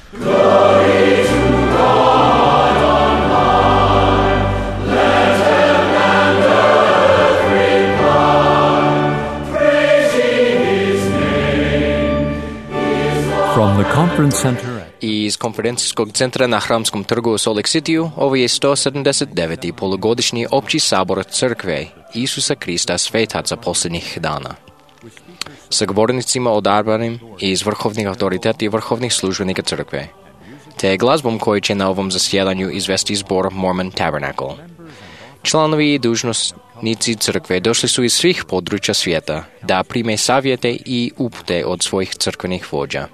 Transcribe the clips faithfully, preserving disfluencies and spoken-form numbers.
From the conference center Iz konferencijskog centra na Hramskom trgu u Salt Lake City ovo je sto sedamdeset deveti polugodišnji opći sabor Crkve Isusa Krista Svetaca posljednjih dana. Sa govornicima odabranim iz vrhovnih autoriteta i vrhovnih službenika Crkve, te glazbom koji će na ovom zasjedanju izvesti zbor Mormon Tabernacle. Članovi i dužnosnici Crkve došli su iz svih područja svijeta da prime savjete i upute od svojih crkvenih vođa.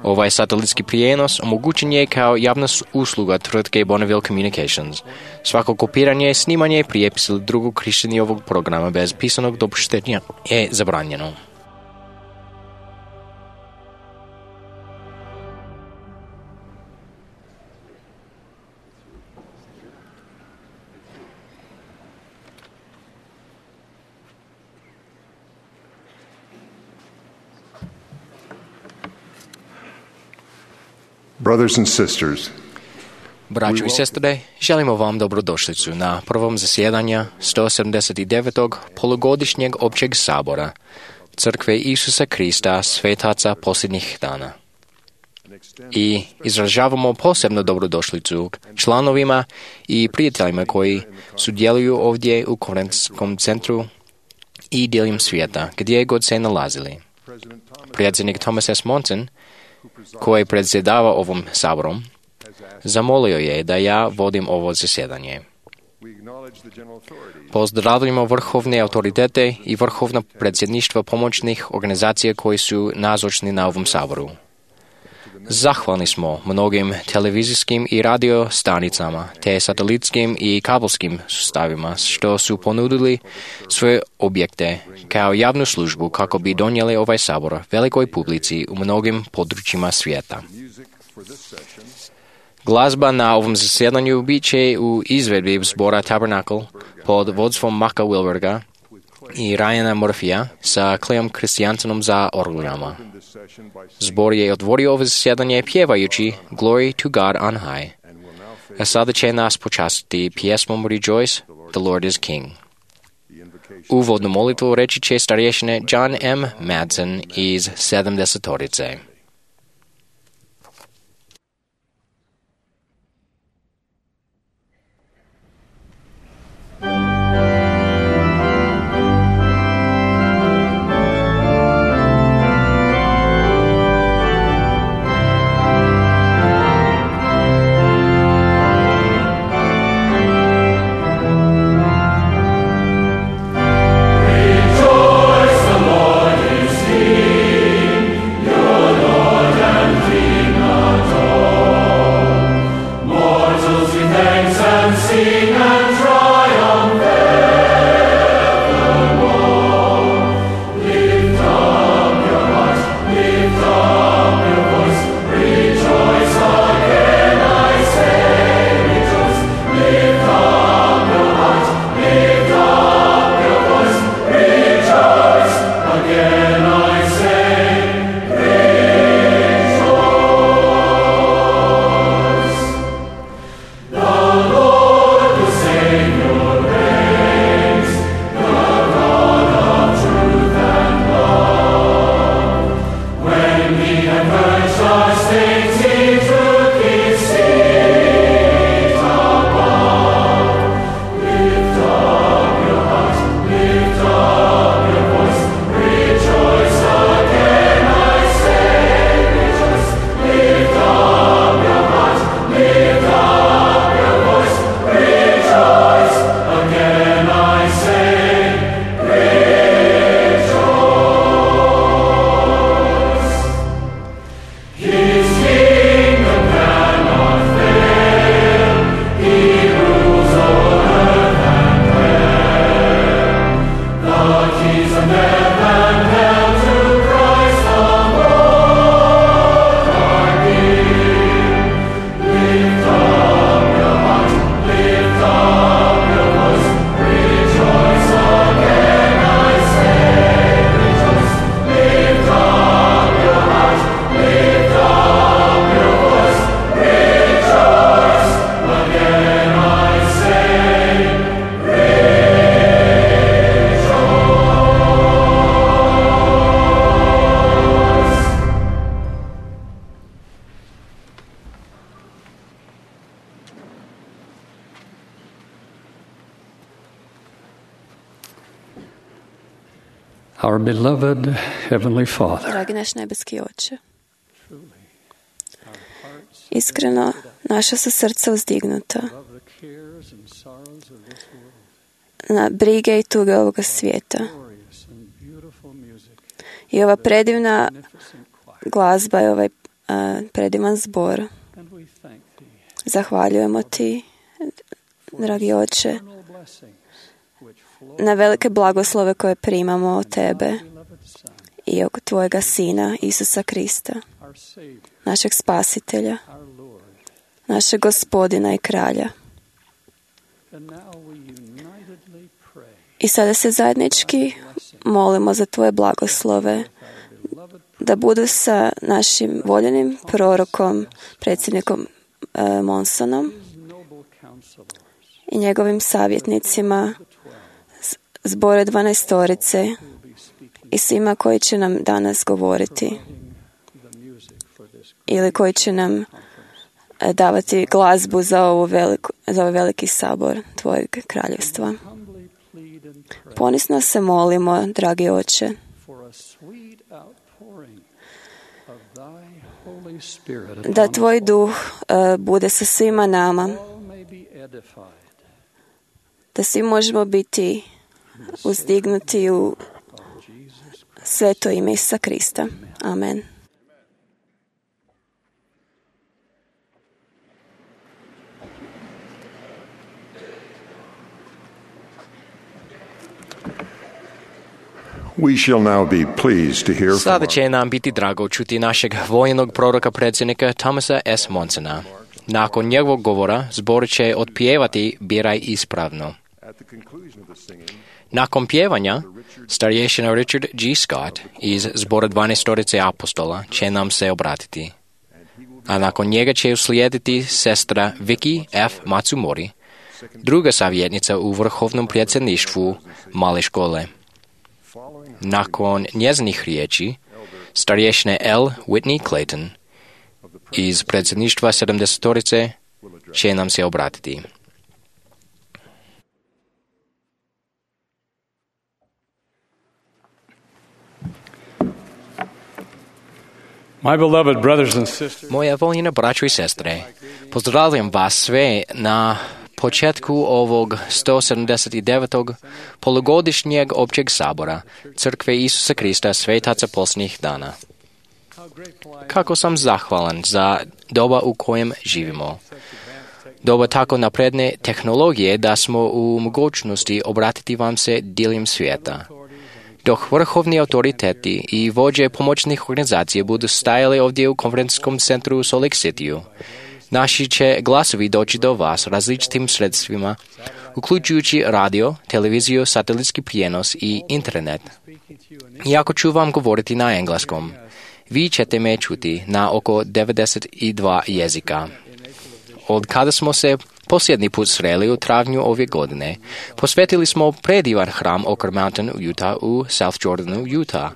Ovaj satelitski prijenos omogućen je kao javna usluga tvrtke Bonneville Communications. Svako kopiranje, snimanje, prijepis ili drugog korištenja ovog programa bez pisanog dopuštenja je zabranjeno. Brothers and sisters, Braćo i sestre, želimo vam dobrodošlicu na prvom zasjedanja sto sedamdeset devetog polugodišnjeg općeg sabora Crkve Isusa Krista Svetaca posljednjih dana. I izražavamo posebno dobrodošlicu članovima i prijateljima koji sudjeluju ovdje u konferencijskom centru i diljem svijeta, gdje god se nalazili. Predsjednik Thomas S. Monson, koji predsjedava ovom saborom, zamolio je da ja vodim ovo zasjedanje. Pozdravljamo vrhovne autoritete i vrhovna predsjedništva pomoćnih organizacija koji su nazočni na ovom saboru. Zahvalni smo mnogim televizijskim i radio stanicama te satelitskim i kabelskim sustavima što su ponudili svoje objekte kao javnu službu kako bi donijeli ovaj sabor velikoj publici u mnogim područjima svijeta. Glazba na ovom zasjedanju bit će u izvedbi zbora Tabernacle pod vodstvom Maka Wilberga i Ryana Murphyja sa Cleom Christiansenom za orglama. Zbor je otvorio ovo zasjedanje pjevajući Glory to God on high. A sada će nas počastiti pjesmom Rejoice, the Lord is King. Uvodnu molitvu reći će starješine John M. Madsen iz sedamdesetorice. Rejoice, the Lord is King. Your Lord Our beloved Heavenly Father, Dragi naš nebeski Oče, iskreno naša su srca uzdignuta na brige i tuge ovoga svijeta. I ova predivna glazba i ovaj uh, predivan zbor. Zahvaljujemo Ti, dragi Oče, na velike blagoslove koje primamo od Tebe i od Tvojega Sina, Isusa Krista, našeg Spasitelja, našeg Gospodina i Kralja. I sada se zajednički molimo za Tvoje blagoslove, da budu sa našim voljenim prorokom, predsjednikom e, Monsonom i njegovim savjetnicima, zbore dvanaestorice i svima koji će nam danas govoriti ili koji će nam e, davati glazbu za, ovu veliku, za ovaj veliki sabor Tvojeg kraljevstva. Ponisno se molimo, dragi Oče, da Tvoj duh uh, bude sa svima nama, da svi možemo biti uzdignuti u sveto ime Isusa Krista. Amen. We shall now be pleased to hear from Sada će nam biti drago čuti našeg vojnog proroka predsjednika Thomasa S. Monsona. Nakon njegovog govora zbor će otpjevati Biraj ispravno. Nakon pjevanja, starješina Richard G. Scott iz zbora dvanaestorice apostola će nam se obratiti. A nakon njega će uslijediti sestra Vicky F. Matsumori, druga savjetnica u vrhovnom predsjedništvu male škole. Nakon njezinih riječi, starješina L. Whitney Clayton iz predsjedništva sedamdesetorice će nam se obratiti. my beloved brothers and sisters, Moja voljena braćo i sestre, pozdravljam vas sve na početku ovog sto sedamdeset devetog polugodišnjeg općeg sabora Crkve Isusa Krista Svetaca posljednjih dana. Kako sam zahvalan za doba u kojem živimo. Doba tako napredne tehnologije da smo u mogućnosti obratiti vam se diljem svijeta. Dok vrhovni autoriteti i vođe pomoćnih organizacija budu stajali ovdje u konferencijskom centru u Salt Lake Cityu, naši će glasovi doći do vas različitim sredstvima, uključujući radio, televiziju, satelitski prijenos i internet. Iako ću vam govoriti na engleskom, vi ćete me čuti na oko devedeset dva jezika. Od kada smo se posljednji put sreli u travnju ove godine, posvetili smo predivan hram Oak Mountain, Utah u South Jordanu, Utah.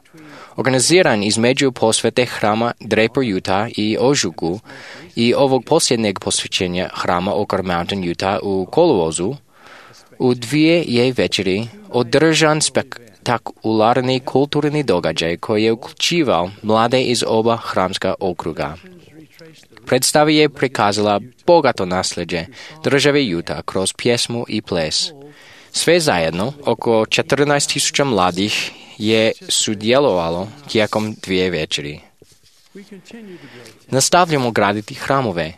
Organiziran između posvete hrama Draper, Utah i ožujku i ovog posljednjeg posvećenja hrama Oak Mountain, Utah u kolovozu, u dvije je večeri održan spektakularni kulturni događaj koji je uključivao mlade iz oba hramska okruga. Predstava je prikazala bogato nasljeđe države Utah kroz pjesmu i ples. Sve zajedno, oko četrnaest tisuća mladih je sudjelovalo tijekom dvije večeri. Nastavljamo graditi hramove.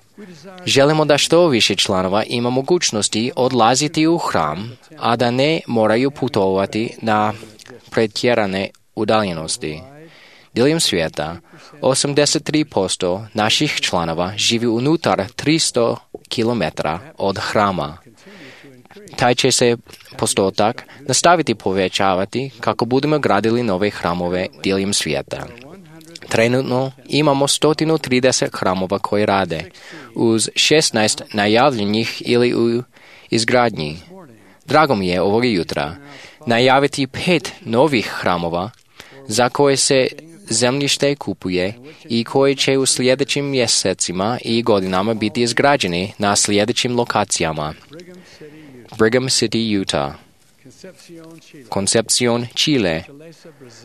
Želimo da što više članova ima mogućnosti odlaziti u hram, a da ne moraju putovati na pretjerane udaljenosti. Diljem svijeta, osamdeset tri posto naših članova živi unutar tristo kilometara od hrama. Taj će se postotak nastaviti povećavati kako budemo gradili nove hramove diljem svijeta. Trenutno imamo sto trideset hramova koji rade, uz šesnaest najavljenih ili u izgradnji. Drago mi je ovoga jutra najaviti pet novih hramova za koje se zemljište kupuje i koji će u sljedećim mjesecima i godinama biti izgrađeni na sljedećim lokacijama. Brigham City, Utah, Concepción, Chile,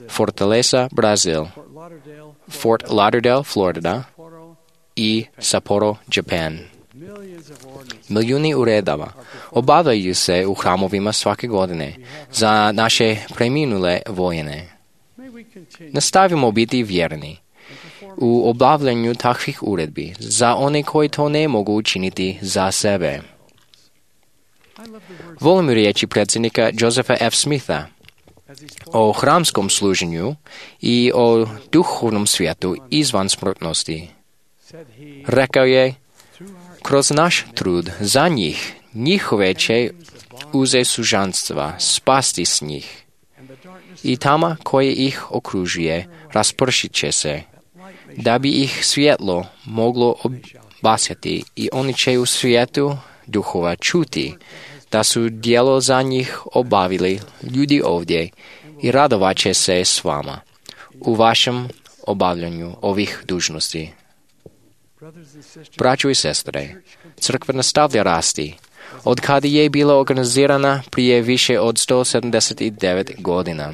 Fortaleza, Brasil, Fort Lauderdale, Florida і Саппоро, Japan. Мільйони урядова обавляються у храмові святі години за наші преминулі воїни. Не ставимо бути вірні у обавленню таких урядбі, за вони, кої то не можуть чинити за себе. Волим речі преdsjednika Джозефа Ф. Сміта о храмському служенню і о духовному світу ізван смертності. Rekao je, kroz naš trud za njih, njihove će uze sužanstva spasti s njih. I tama koje ih okružuje raspršit će se, da bi ih svjetlo moglo obasjati i oni će u svijetu duhova čuti, da su djelo za njih obavili ljudi ovdje i radovat će se s vama u vašem obavljanju ovih dužnosti. Braćo i sestre, crkva nastavlja rasti, od kada je bila organizirana prije više od sto sedamdeset devet godina.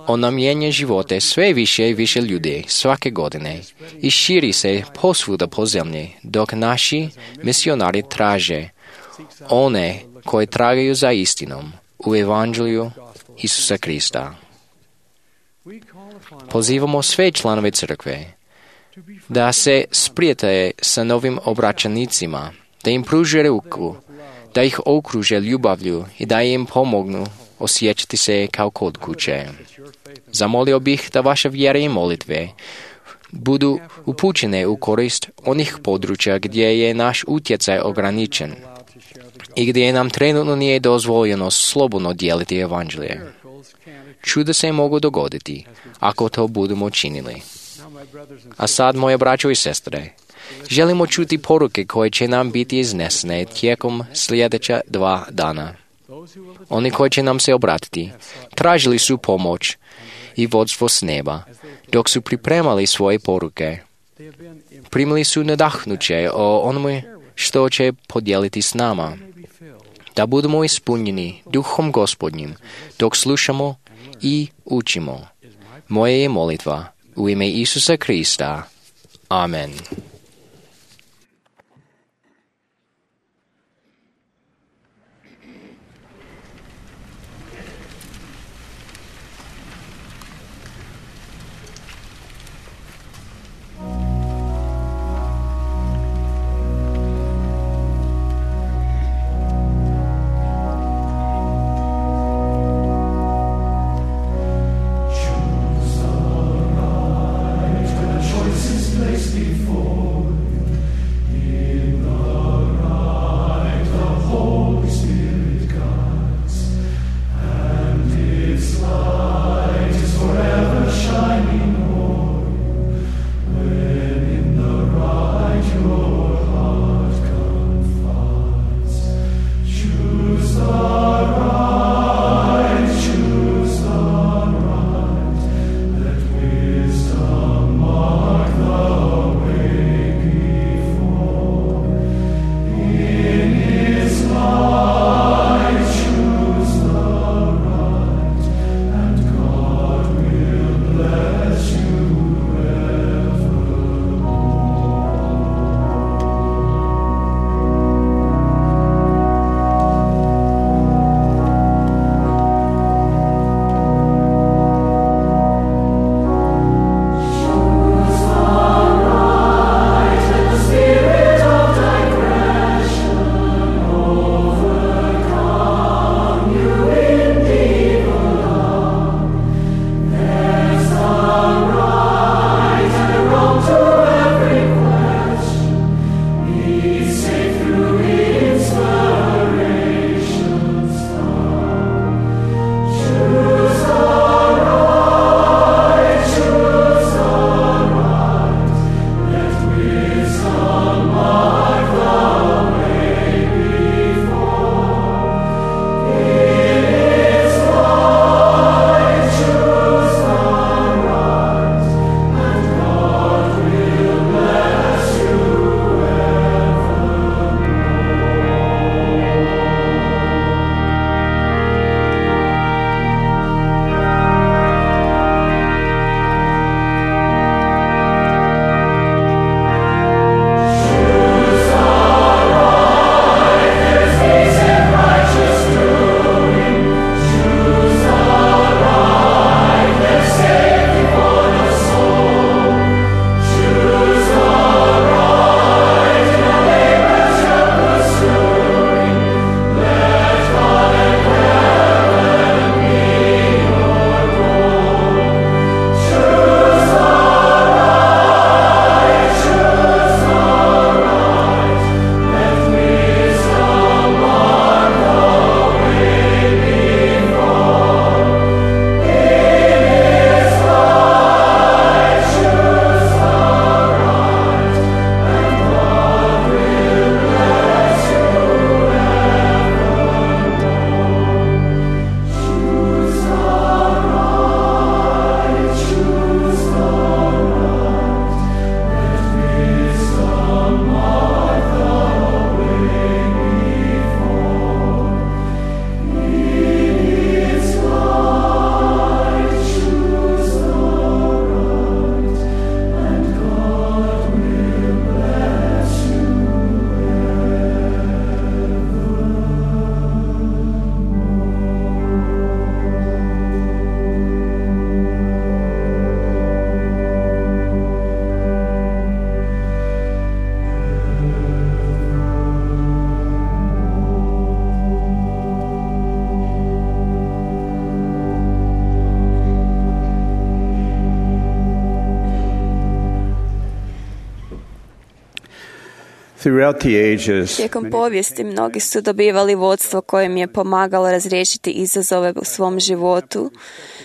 Ona mijenja živote sve više i više ljudi svake godine i širi se posvuda po zemlji, dok naši misionari traže one koji tragaju za istinom u evanđelju Isusa Krista. Pozivamo sve članove crkve da se sprijatelje sa novim obraćanicima, da im pruže ruku, da ih okruže ljubavlju i da im pomognu osjećati se kao kod kuće. Zamolio bih da vaše vjere i molitve budu upućene u korist onih područja gdje je naš utjecaj ograničen i gdje nam trenutno nije dozvoljeno slobodno dijeliti evanđelje. Čuda se mogu dogoditi ako to budemo činili. A sad, moje braćo i sestre, želimo čuti poruke koje će nam biti iznesene tijekom sljedeća dva dana. Oni koji će nam se obratiti, tražili su pomoć i vodstvo s neba, dok su pripremali svoje poruke. Primili su nadahnuće o onome što će podijeliti s nama, da budemo ispunjeni duhom Gospodnjim, dok slušamo i učimo. Moja je molitva u ime Isusa Krista. Amen. Place before Throughout the ages, Tijekom povijesti mnogi su dobivali vodstvo koje im je pomagalo razriješiti izazove u svom životu,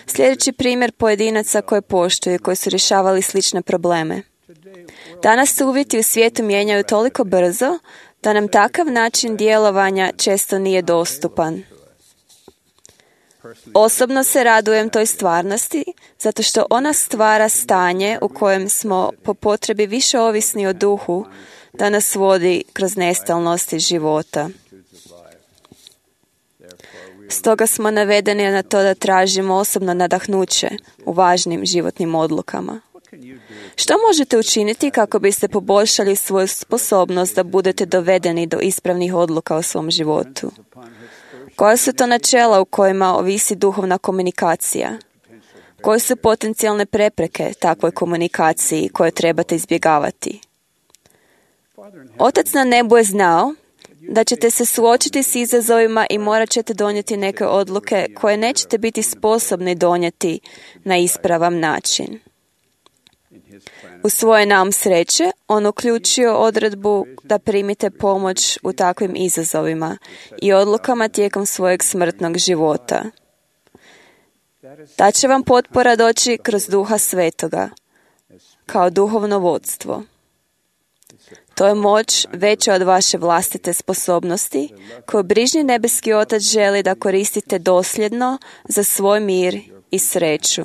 sljedeći primjer pojedinaca koje poštuju, koji su rješavali slične probleme. Danas se uvjeti u svijetu mijenjaju toliko brzo da nam takav način djelovanja često nije dostupan. Osobno se radujem toj stvarnosti, zato što ona stvara stanje u kojem smo po potrebi više ovisni o duhu, da nas vodi kroz nestalnosti života. Stoga smo navedeni na to da tražimo osobno nadahnuće u važnim životnim odlukama. Što možete učiniti kako biste poboljšali svoju sposobnost da budete dovedeni do ispravnih odluka u svom životu? Koja su to načela u kojima ovisi duhovna komunikacija? Koje su potencijalne prepreke takvoj komunikaciji koje trebate izbjegavati? Otac na nebu je znao da ćete se suočiti s izazovima i morat ćete donijeti neke odluke koje nećete biti sposobni donijeti na ispravan način. U svoje nam sreće, on uključio odredbu da primite pomoć u takvim izazovima i odlukama tijekom svojeg smrtnog života. Ta će vam potpora doći kroz Duha Svetoga, kao duhovno vodstvo. To je moć veća od vaše vlastite sposobnosti, koju brižni nebeski Otac želi da koristite dosljedno za svoj mir i sreću.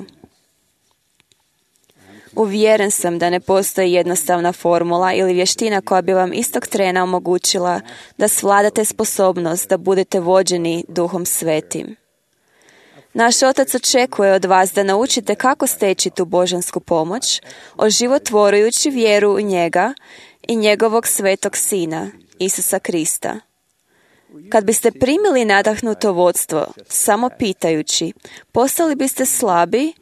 Uvjeren sam da ne postoji jednostavna formula ili vještina koja bi vam istog trena omogućila da svladate sposobnost da budete vođeni Duhom Svetim. Naš Otac očekuje od vas da naučite kako steći tu božansku pomoć, oživotvorujući vjeru u njega i njegovog svetog Sina, Isusa Krista. Kad biste primili nadahnuto vodstvo, samo pitajući, postali biste slabi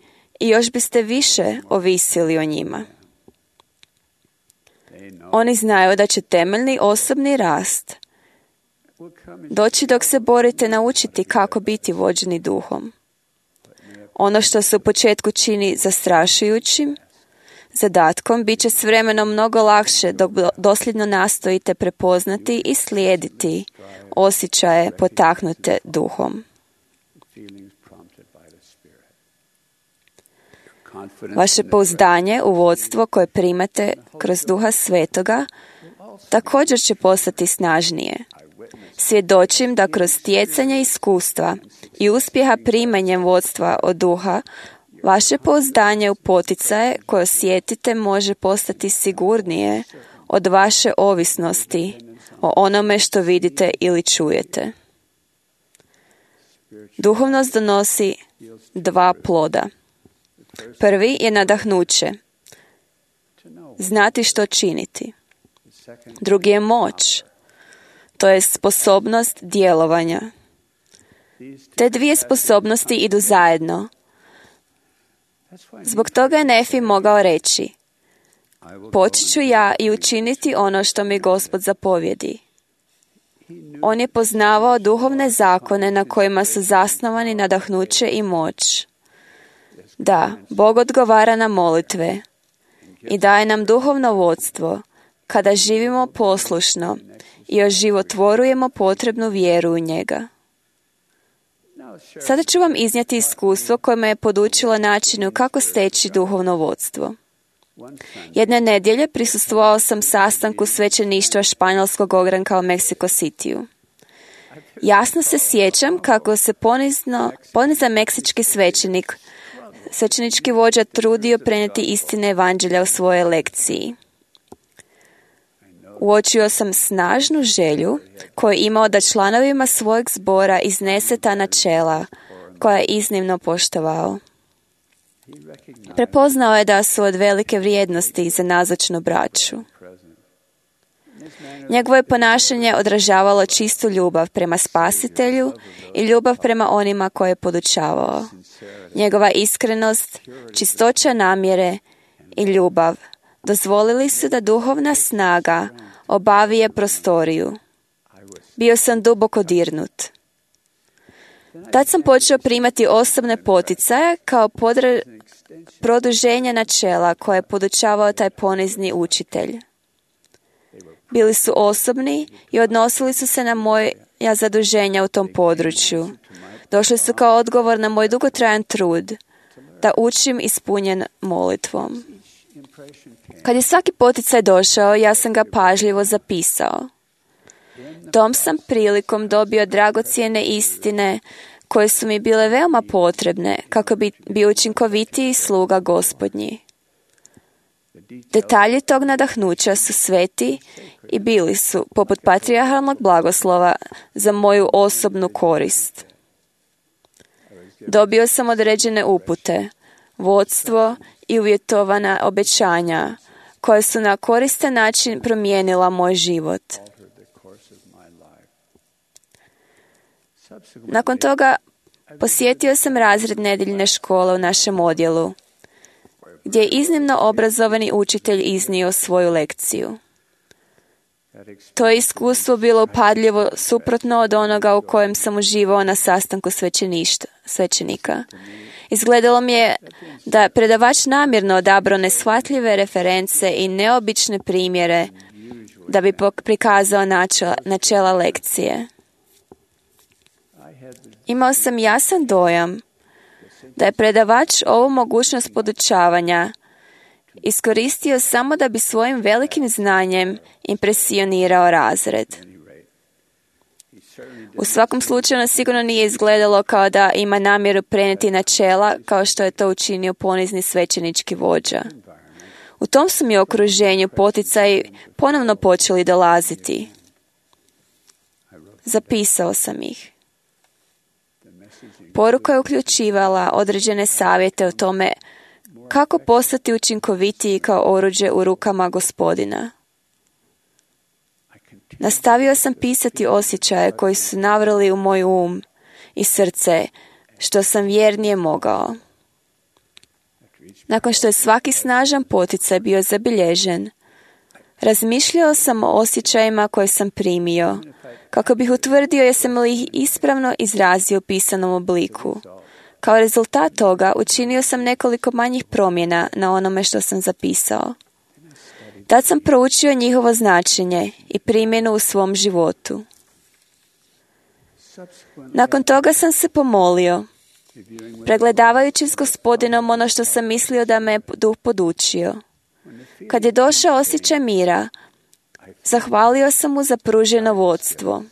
i još biste više ovisili o njima. Oni znaju da će temeljni osobni rast doći dok se borite naučiti kako biti vođeni duhom. Ono što se u početku čini zastrašujućim zadatkom bit će s vremenom mnogo lakše dok dosljedno nastojite prepoznati i slijediti osjećaje potaknute duhom. Vaše pouzdanje u vodstvo koje primate kroz Duha Svetoga također će postati snažnije. Svjedočim da kroz stjecanje iskustva i uspjeha primanjem vodstva od Duha, vaše pouzdanje u poticaje koje osjetite može postati sigurnije od vaše ovisnosti o onome što vidite ili čujete. Duhovnost donosi dva ploda. Prvi je nadahnuće, znati što činiti. Drugi je moć, to je sposobnost djelovanja. Te dvije sposobnosti idu zajedno. Zbog toga je Nefi mogao reći, poći ću ja i učiniti ono što mi Gospod zapovjedi. On je poznavao duhovne zakone na kojima su zasnovani nadahnuće i moć. Da, Bog odgovara na molitve i daje nam duhovno vodstvo kada živimo poslušno i oživotvorujemo potrebnu vjeru u njega. Sada ću vam iznijeti iskustvo koje me je podučilo načinu kako steći duhovno vodstvo. Jedne nedjelje prisustvovao sam sastanku svećeništva španjolskog ogranka u Mexico Cityu. Jasno se sjećam kako se ponizno, ponizan meksički svećenik, svećenički vođa trudio prenijeti istine evanđelja u svojoj lekciji. Uočio sam snažnu želju koju je imao da članovima svojeg zbora iznese ta načela koja je iznimno poštovao. Prepoznao je da su od velike vrijednosti za nazočnu braću. Njegovo je ponašanje odražavalo čistu ljubav prema Spasitelju i ljubav prema onima koje je podučavao. Njegova iskrenost, čistoća namjere i ljubav dozvolili su da duhovna snaga obavije prostoriju. Bio sam duboko dirnut. Tad sam počeo primati osobne poticaje kao podra... produženje načela koje je podučavao taj ponizni učitelj. Bili su osobni i odnosili su se na moja zaduženja u tom području. Došli su kao odgovor na moj dugotrajan trud da učim ispunjen molitvom. Kad je svaki poticaj došao, ja sam ga pažljivo zapisao. Tom sam prilikom dobio dragocjene istine koje su mi bile veoma potrebne kako bi bio učinkovitiji sluga Gospodnji. Detalji tog nadahnuća su sveti i bili su, poput patrijarhalnog blagoslova, za moju osobnu korist. Dobio sam određene upute, vodstvo i uvjetovana obećanja koja su na koristan način promijenila moj život. Nakon toga posjetio sam razred nedjeljne škole u našem odjelu, gdje je iznimno obrazovani učitelj iznio svoju lekciju. To je iskustvo bilo upadljivo suprotno od onoga u kojem sam uživao na sastanku svećenika. Izgledalo mi je da je predavač namjerno odabrao neshvatljive reference i neobične primjere da bi prikazao načela, načela lekcije. Imao sam jasan dojam da je predavač ovu mogućnost podučavanja iskoristio samo da bi svojim velikim znanjem impresionirao razred. U svakom slučaju nas sigurno nije izgledalo kao da ima namjeru prenijeti načela kao što je to učinio ponizni svećenički vođa. U tom su mi okruženju poticaji ponovno počeli dolaziti. Zapisao sam ih. Poruka je uključivala određene savjete o tome kako postati učinkovitiji kao oruđe u rukama Gospodina. Nastavio sam pisati osjećaje koji su navrali u moj um i srce, što sam vjernije mogao. Nakon što je svaki snažan poticaj bio zabilježen, razmišljao sam o osjećajima koje sam primio, kako bih utvrdio jesam li ih ispravno izrazio u pisanom obliku. Kao rezultat toga učinio sam nekoliko manjih promjena na onome što sam zapisao. Tad sam proučio njihovo značenje i primjenu u svom životu. Nakon toga sam se pomolio, pregledavajući s Gospodinom ono što sam mislio da me duh podučio. Kad je došao osjećaj mira, zahvalio sam mu za pruženo vodstvo.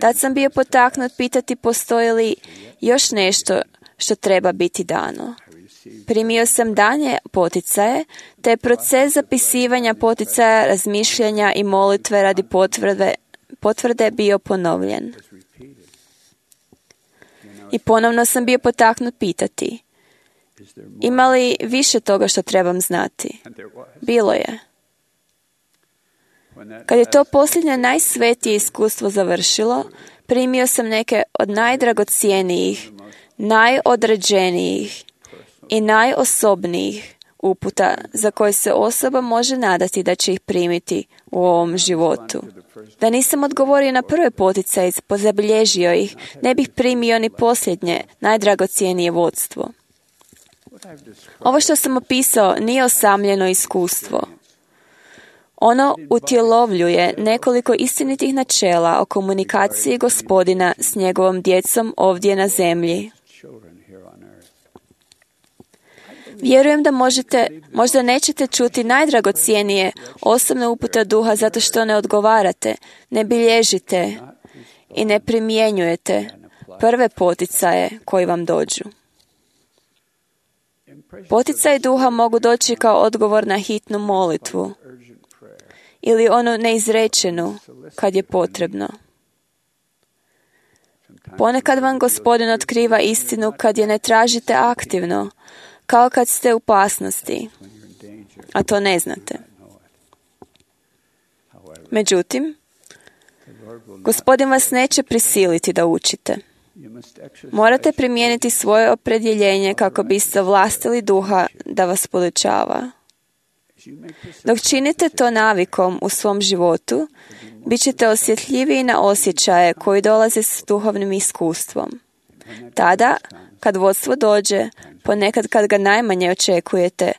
Tad sam bio potaknut pitati postoji li još nešto što treba biti dano. Primio sam danje poticaje, te je proces zapisivanja poticaja, razmišljanja i molitve radi potvrde, potvrde bio ponovljen. I ponovno sam bio potaknut pitati, ima li više toga što trebam znati? Bilo je. Kad je to posljednje najsvetije iskustvo završilo, primio sam neke od najdragocijenijih, najodređenijih i najosobnijih uputa za koje se osoba može nadati da će ih primiti u ovom životu. Da nisam odgovorio na prve poticaje, pozabilježio ih, ne bih primio ni posljednje, najdragocijenije vodstvo. Ovo što sam opisao nije osamljeno iskustvo. Ono utjelovljuje nekoliko istinitih načela o komunikaciji Gospodina s njegovom djecom ovdje na zemlji. Vjerujem da možete, možda nećete čuti najdragocijenije osobne upute duha zato što ne odgovarate, ne bilježite i ne primjenjujete prve poticaje koji vam dođu. Poticaji duha mogu doći kao odgovor na hitnu molitvu ili onu neizrečenu kad je potrebno. Ponekad vam Gospodin otkriva istinu kad je ne tražite aktivno, kao kad ste u opasnosti, a to ne znate. Međutim, Gospodin vas neće prisiliti da učite. Morate primijeniti svoje opredjeljenje kako biste vlastili duha da vas podučava. Dok činite to navikom u svom životu, bit ćete osjetljiviji na osjećaje koji dolaze s duhovnim iskustvom. Tada, kad vodstvo dođe, ponekad kad ga najmanje očekujete,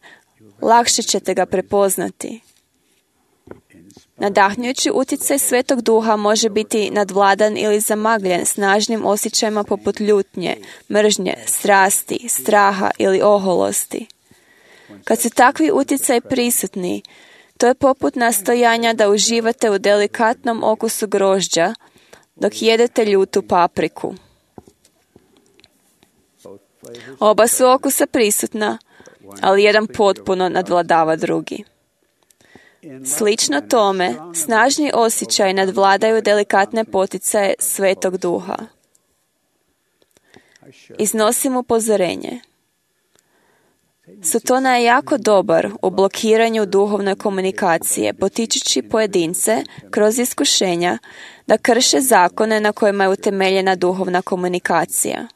lakše ćete ga prepoznati. Nadahnjujući utjecaj Svetog Duha može biti nadvladan ili zamagljen snažnim osjećajima poput ljutnje, mržnje, strasti, straha ili oholosti. Kad su takvi utjecaji prisutni, to je poput nastojanja da uživate u delikatnom okusu grožđa dok jedete ljutu papriku. Oba su okusa prisutna, ali jedan potpuno nadvladava drugi. Slično tome, snažni osjećaj nadvladaju delikatne poticaje Svetog Duha. Iznosim upozorenje. Sotona je jako dobar u blokiranju duhovne komunikacije, potičući pojedince kroz iskušenja da krše zakone na kojima je utemeljena duhovna komunikacija.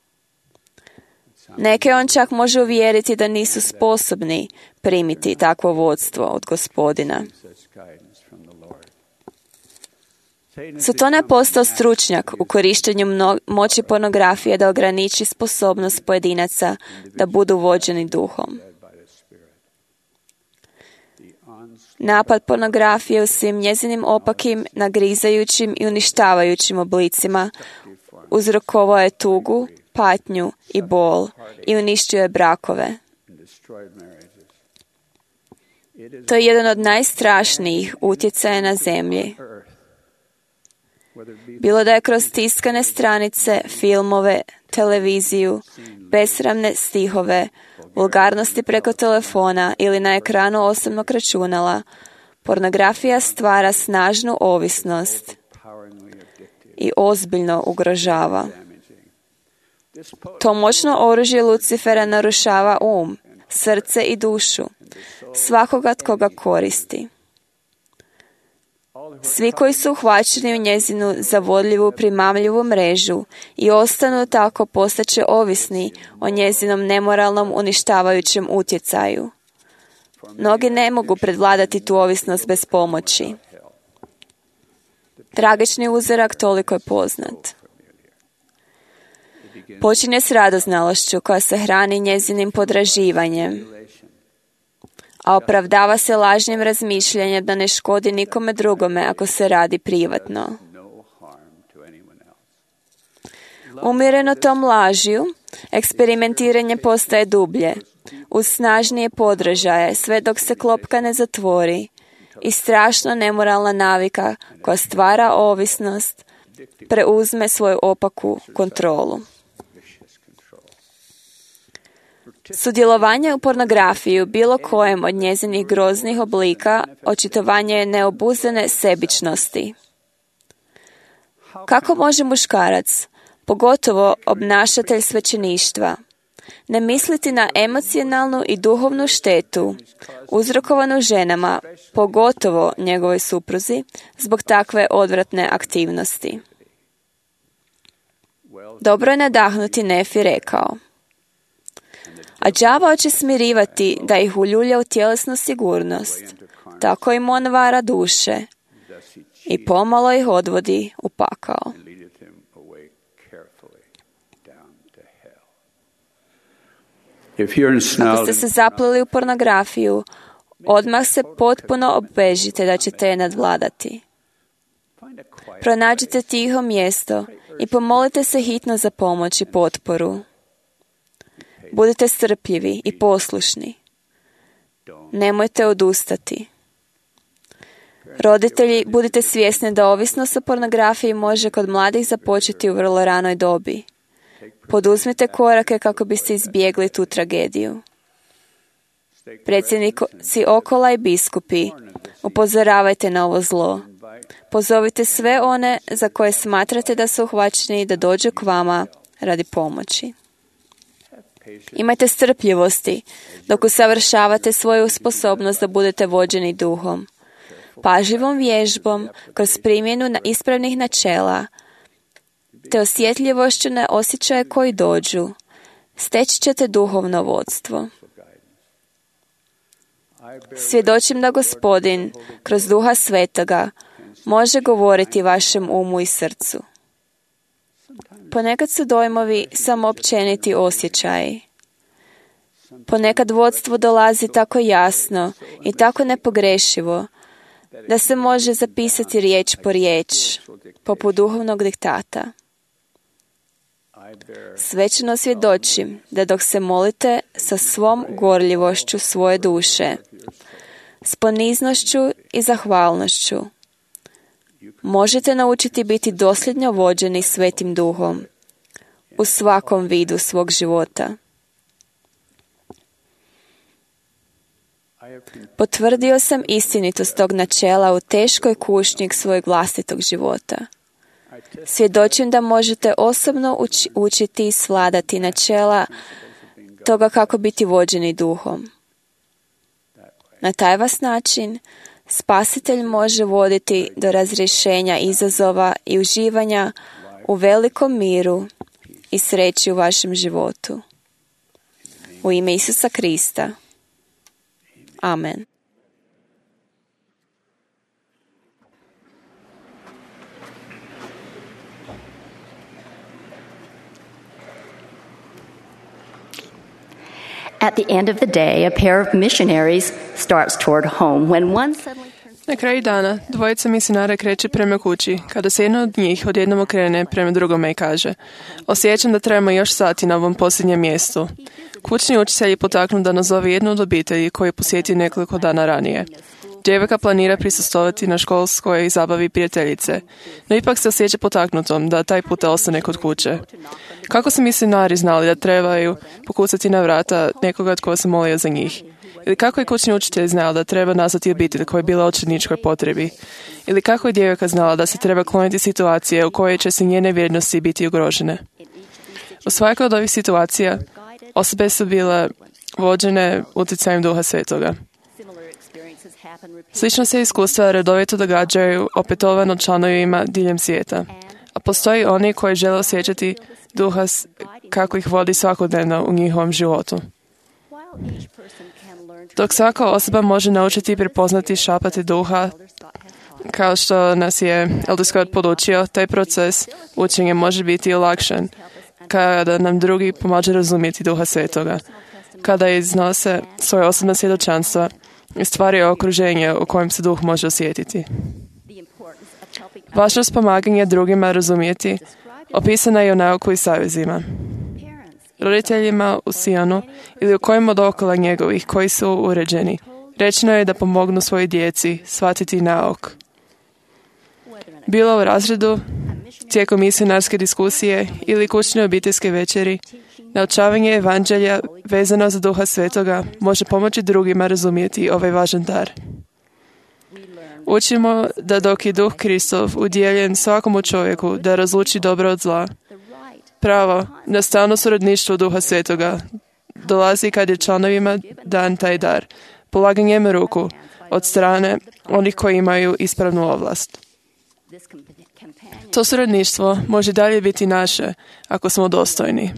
Neke on čak može uvjeriti da nisu sposobni primiti takvo vodstvo od Gospodina. Sotona je postao stručnjak u korištenju mno- moći pornografije da ograniči sposobnost pojedinaca da budu vođeni duhom. Napad pornografije u svim njezinim opakim, nagrizajućim i uništavajućim oblicima uzrokovao je tugu, patnju i bol i uništio je brakove. To je jedan od najstrašnijih utjecaja na zemlji. Bilo da je kroz tiskane stranice, filmove, televiziju, besramne stihove, vulgarnosti preko telefona ili na ekranu osobnog računala, pornografija stvara snažnu ovisnost i ozbiljno ugrožava. To moćno oružje Lucifera narušava um, srce i dušu svakoga tko ga koristi. Svi koji su uhvaćeni u njezinu zavodljivu, primamljivu mrežu i ostanu tako postaće ovisni o njezinom nemoralnom, uništavajućem utjecaju. Mnogi ne mogu predvladati tu ovisnost bez pomoći. Tragični uzorak toliko je poznat. Počinje s radoznalošću koja se hrani njezinim podraživanjem, a opravdava se lažnim razmišljanjem da ne škodi nikome drugome ako se radi privatno. Umjereno tom lažju, eksperimentiranje postaje dublje, uz snažnije podražaje, sve dok se klopka ne zatvori i strašno nemoralna navika koja stvara ovisnost preuzme svoju opaku kontrolu. Sudjelovanje u pornografiji u bilo kojem od njezinih groznih oblika očitovanje je neobuzene sebičnosti. Kako može muškarac, pogotovo obnašatelj svećeništva, ne misliti na emocionalnu i duhovnu štetu uzrokovanu ženama, pogotovo njegovoj supruzi, zbog takve odvratne aktivnosti? Dobro je nadahnuti Nefi rekao: a đavao će smirivati da ih uljulja u tjelesnu sigurnost, tako im on vara duše i pomalo ih odvodi u pakao. Ako ste se zapleli u pornografiju, odmah se potpuno obvežite da ćete je nadvladati. Pronađite tiho mjesto i pomolite se hitno za pomoć i potporu. Budite strpljivi i poslušni. Nemojte odustati. Roditelji, budite svjesni da ovisnost o pornografiji može kod mladih započeti u vrlo ranoj dobi. Poduzmite korake kako biste izbjegli tu tragediju. Predsjednici okola i biskupi, upozoravajte na ovo zlo. Pozovite sve one za koje smatrate da su uhvaćeni da dođu k vama radi pomoći. Imajte strpljivosti dok usavršavate svoju sposobnost da budete vođeni duhom. Pažljivom vježbom, kroz primjenu na ispravnih načela, te osjetljivošću na osjećaje koji dođu, steći ćete duhovno vodstvo. Svjedočim da Gospodin, kroz Duha Svetoga, može govoriti vašem umu i srcu. Ponekad su dojmovi samo općeniti osjećaji. Ponekad vodstvo dolazi tako jasno i tako nepogrešivo da se može zapisati riječ po riječ, poput duhovnog diktata. Svećeno svjedočim da dok se molite sa svom gorljivošću svoje duše, s poniznošću i zahvalnošću, možete naučiti biti dosljedno vođeni Svetim Duhom u svakom vidu svog života. Potvrdio sam istinitost tog načela u teškoj kušnji svojeg vlastitog života. Svjedočim da možete osobno uči, učiti i svladati načela toga kako biti vođeni duhom. Na taj vas način Spasitelj može voditi do razrješenja izazova i uživanja u velikom miru i sreći u vašem životu. U ime Isusa Krista. Amen. At the end of the day, a pair of missionaries starts toward home when one suddenly turns... Na kraju dana, dvojica misionara kreće prema kući, kada se jedna od njih odjednom okrene prema drugome i kaže: osjećam da trebamo još sati na ovom posljednjem mjestu. Kućni učitelj je potaknut da nazove jednu od obitelji koju je posjetio nekoliko dana ranije. Djevojka planira prisustvovati na školskoj zabavi prijateljice, no ipak se osjeća potaknutom da taj puta ostane kod kuće. Kako su misionari znali da trebaju pokucati na vrata nekoga tko se molio za njih? Ili kako je kućni učitelj znao da treba nazvati obitelj koja je bila u očajničkoj potrebi? Ili kako je djevojka znala da se treba kloniti situacije u kojoj će se njene vrijednosti biti ugrožene? U svakoj od ovih situacija osobe su bile vođene utjecajem Duha Svetoga. Slično se iskustva redovito događaju opetovano članovima diljem svijeta, a postoji oni koji žele osjećati Duha kako ih vodi svakodnevno u njihovom životu. Dok svaka osoba može naučiti i prepoznati šapati Duha, kao što nas je Elder Scott podučio, taj proces učenja može biti olakšan kada nam drugi pomažu razumjeti Duha Svetoga, kada iznose svoje osobna svjedočanstva i stvaraju okruženje u kojem se Duh može osjetiti. Važnost pomaganja drugima razumjeti opisana je u nauku i savezima. Roditeljima u Sionu ili u kojim od okolo njegovih koji su uređeni, rečeno je da pomognu svojoj djeci shvatiti nauk. Bilo u razredu, tijekom misionarske diskusije ili kućne obiteljske večeri, naučavanje evanđelja vezano za Duha Svetoga može pomoći drugima razumjeti ovaj važan dar. Učimo da dok je Duh Kristov udjeljen svakomu čovjeku da razluči dobro od zla, pravo na stalno suradništvo Duha Svetoga dolazi kad je članovima dan taj dar, polaganjem ruku od strane onih koji imaju ispravnu ovlast. To suradništvo može dalje biti naše ako smo dostojni.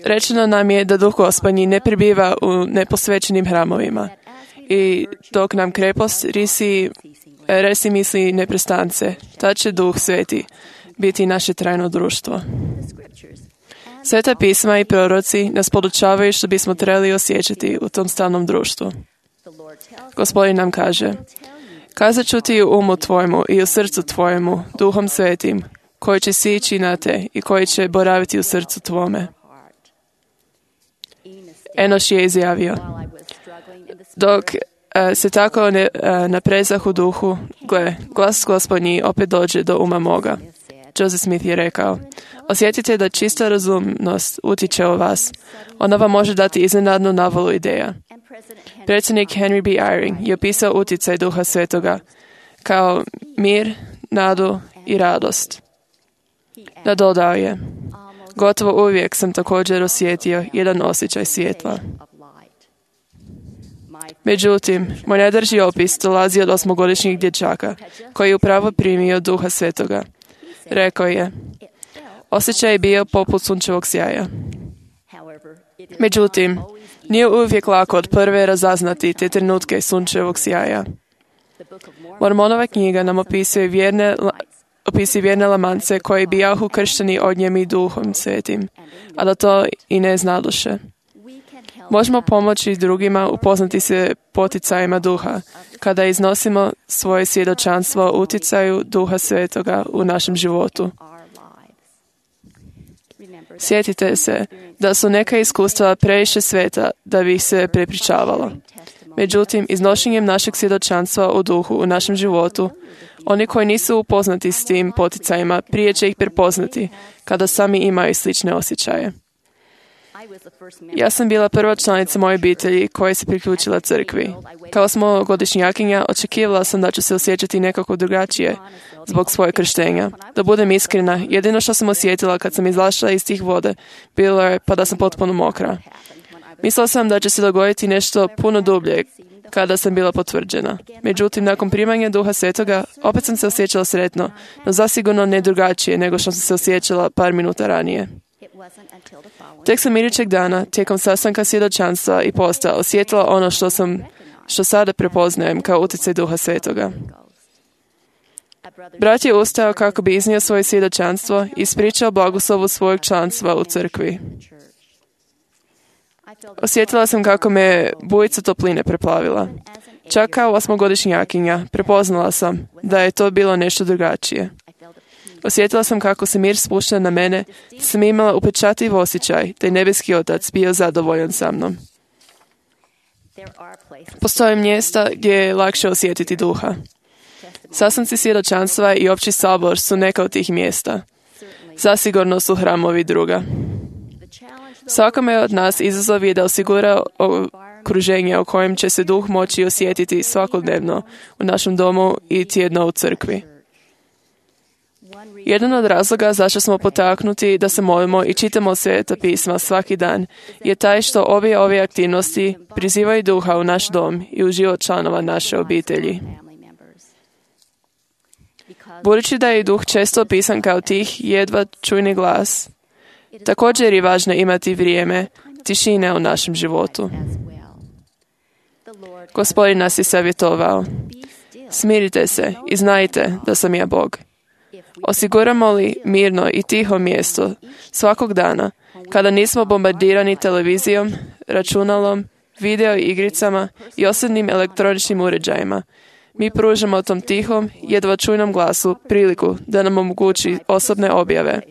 Rečeno nam je da Duh Gospodnji ne prebiva u neposvećenim hramovima i dok nam krepost risi, resi misli neprestance, tad će Duh Sveti biti naše trajno društvo. Sveta pisma i proroci nas podučavaju što bismo trebali osjećati u tom stalnom društvu. Gospodin nam kaže: kazat ću ti u umu tvojemu i u srcu tvojemu, Duhom Svetim, koji će sići na te i koji će boraviti u srcu tvome. Enoš je izjavio: dok uh, se tako ne, uh, naprezah u duhu, gle, glas Gospodnji opet dođe do uma moga. Joseph Smith je rekao: osjetite da čista razumnost utiče u vas. Ona vam može dati iznenadnu navalu ideja. Predsjednik Henry B. Eyring je opisao utjecaj Duha Svetoga kao mir, nadu i radost. Nadodao je: gotovo uvijek sam također osjetio jedan osjećaj svjetla. Međutim, moj najdrži opis dolazi od osmogodišnjeg dječaka koji je upravo primio Duha Svetoga. Rekao je: osjećaj je bio poput sunčevog sjaja. Međutim, nije uvijek lako od prve razaznati te trenutke sunčevog sjaja. Mormonova knjiga nam opisuje vjerne, opisuje vjerne lamance koji bijahu kršteni ognjem i Duhom Svetim, a da to i ne znadoše. Možemo pomoći drugima upoznati se poticajima duha, kada iznosimo svoje svjedočanstvo o utjecaju Duha Svetoga u našem životu. Sjetite se da su neka iskustva previše sveta da bi ih se prepričavalo. Međutim, iznošenjem našeg svjedočanstva o duhu u našem životu, oni koji nisu upoznati s tim poticajima prije će ih prepoznati kada sami imaju slične osjećaje. Ja sam bila prva članica moje obitelji koja se priključila crkvi. Kao osmogodišnjakinja očekivala sam da ću se osjećati nekako drugačije zbog svoje krštenja. Da budem iskrena, jedino što sam osjetila kad sam izlašla iz tih vode bilo je pa da sam potpuno mokra. Mislila sam da će se dogoditi nešto puno dublje kada sam bila potvrđena. Međutim, nakon primanja Duha Svetoga, opet sam se osjećala sretno, no zasigurno ne drugačije nego što sam se osjećala par minuta ranije. Tek sam idućeg dana, tijekom sastanka svjedočanstva i posta, osjetila ono što sam, što sada prepoznajem kao utjecaj Duha Svetoga. Brat je ustao kako bi iznio svoje svjedočanstvo i ispričao blagoslovu svojeg članstva u crkvi. Osjetila sam kako me bujica topline preplavila. Čak kao osmogodišnjakinja prepoznala sam da je to bilo nešto drugačije. Osjetila sam kako se mir spušta na mene, da sam imala upečatljiv osjećaj da je nebeski Otac bio zadovoljan sa mnom. Postoje mjesta gdje je lakše osjetiti duha. Sastanci svjedočanstva i opći sabor su neka od tih mjesta. Zasigurno su hramovi druga. Svakome od nas izazov je da osigura okruženje u kojem će se duh moći osjetiti svakodnevno u našem domu i tjedno u crkvi. Jedan od razloga zašto smo potaknuti da se molimo i čitamo Sveta pisma svaki dan je taj što obje ove aktivnosti prizivaju duha u naš dom i u život članova naše obitelji. Budući da je duh često opisan kao tih, jedva čujni glas, također je važno imati vrijeme tišine u našem životu. Gospodin nas je savjetovao: smirite se i znajte da sam ja Bog. Osiguramo li mirno i tiho mjesto svakog dana, kada nismo bombardirani televizijom, računalom, video igricama i osobnim elektroničnim uređajima, mi pružamo tom tihom, jedva čujnom glasu priliku da nam omogući osobne objave,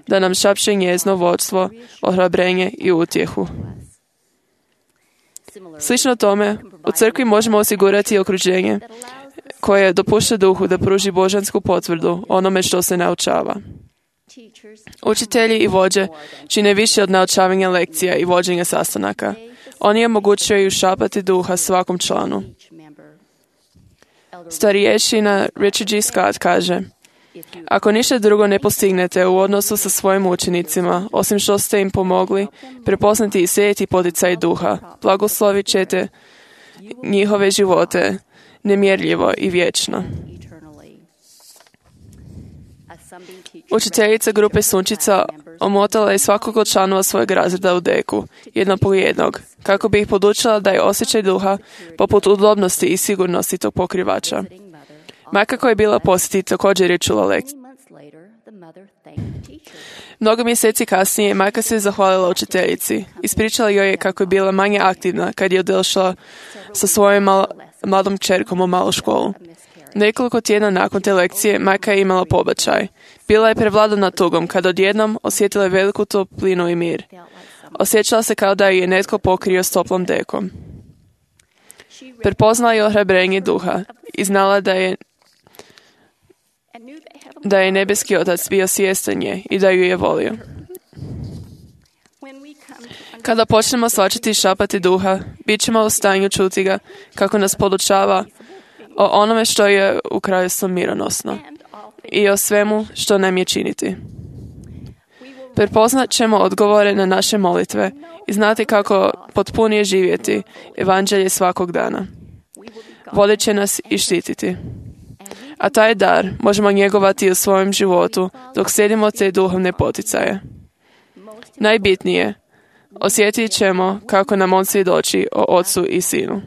da nam šapše njezno vodstvo, ohrabrenje i utjehu. Slično tome, u crkvi možemo osigurati okruženje koje dopušta duhu da pruži božansku potvrdu onome što se naučava. Učitelji i vođe čine više od naučavanja lekcija i vođenja sastanaka. Oni omogućuju šapati duha svakom članu. Starješina Richard G. Scott kaže: ako ništa drugo ne postignete u odnosu sa svojim učenicima, osim što ste im pomogli prepoznati i sejeti poticaj duha, blagoslovit ćete njihove živote nemjerljivo i vječno. Učiteljica grupe Sunčica omotala je svakog od članova svojeg razreda u deku, jednog po jednog, kako bi ih podučila da je osjećaj duha poput udobnosti i sigurnosti tog pokrivača. Majka koja je bila posjeti također je čula lekciju. Mnogo mjeseci kasnije majka se zahvalila učiteljici. Ispričala joj je kako je bila manje aktivna kad je otišla sa svojom mal- mladom kćerkom u malu školu. Nekoliko tjedna nakon te lekcije majka je imala pobačaj. Bila je prevladana tugom kad odjednom osjetila je veliku toplinu i mir. Osjećala se kao da je netko pokrio s toplom dekom. Prepoznala je ohrabrenje duha i znala da je da je nebeski Otac bio svjestan nje i da ju je volio. Kada počnemo shvaćati i šapati duha, bit ćemo u stanju čuti ga kako nas podučava o onome što je u kraljevstvu mironosno i o svemu što nam je činiti. Prepoznat ćemo odgovore na naše molitve i znati kako potpunije živjeti evanđelje svakog dana. Vodit će nas i štititi. A taj dar možemo njegovati u svojem životu dok slijedimo te duhovne poticaje. Najbitnije, osjetit ćemo kako nam on svjedoči o Ocu i Sinu.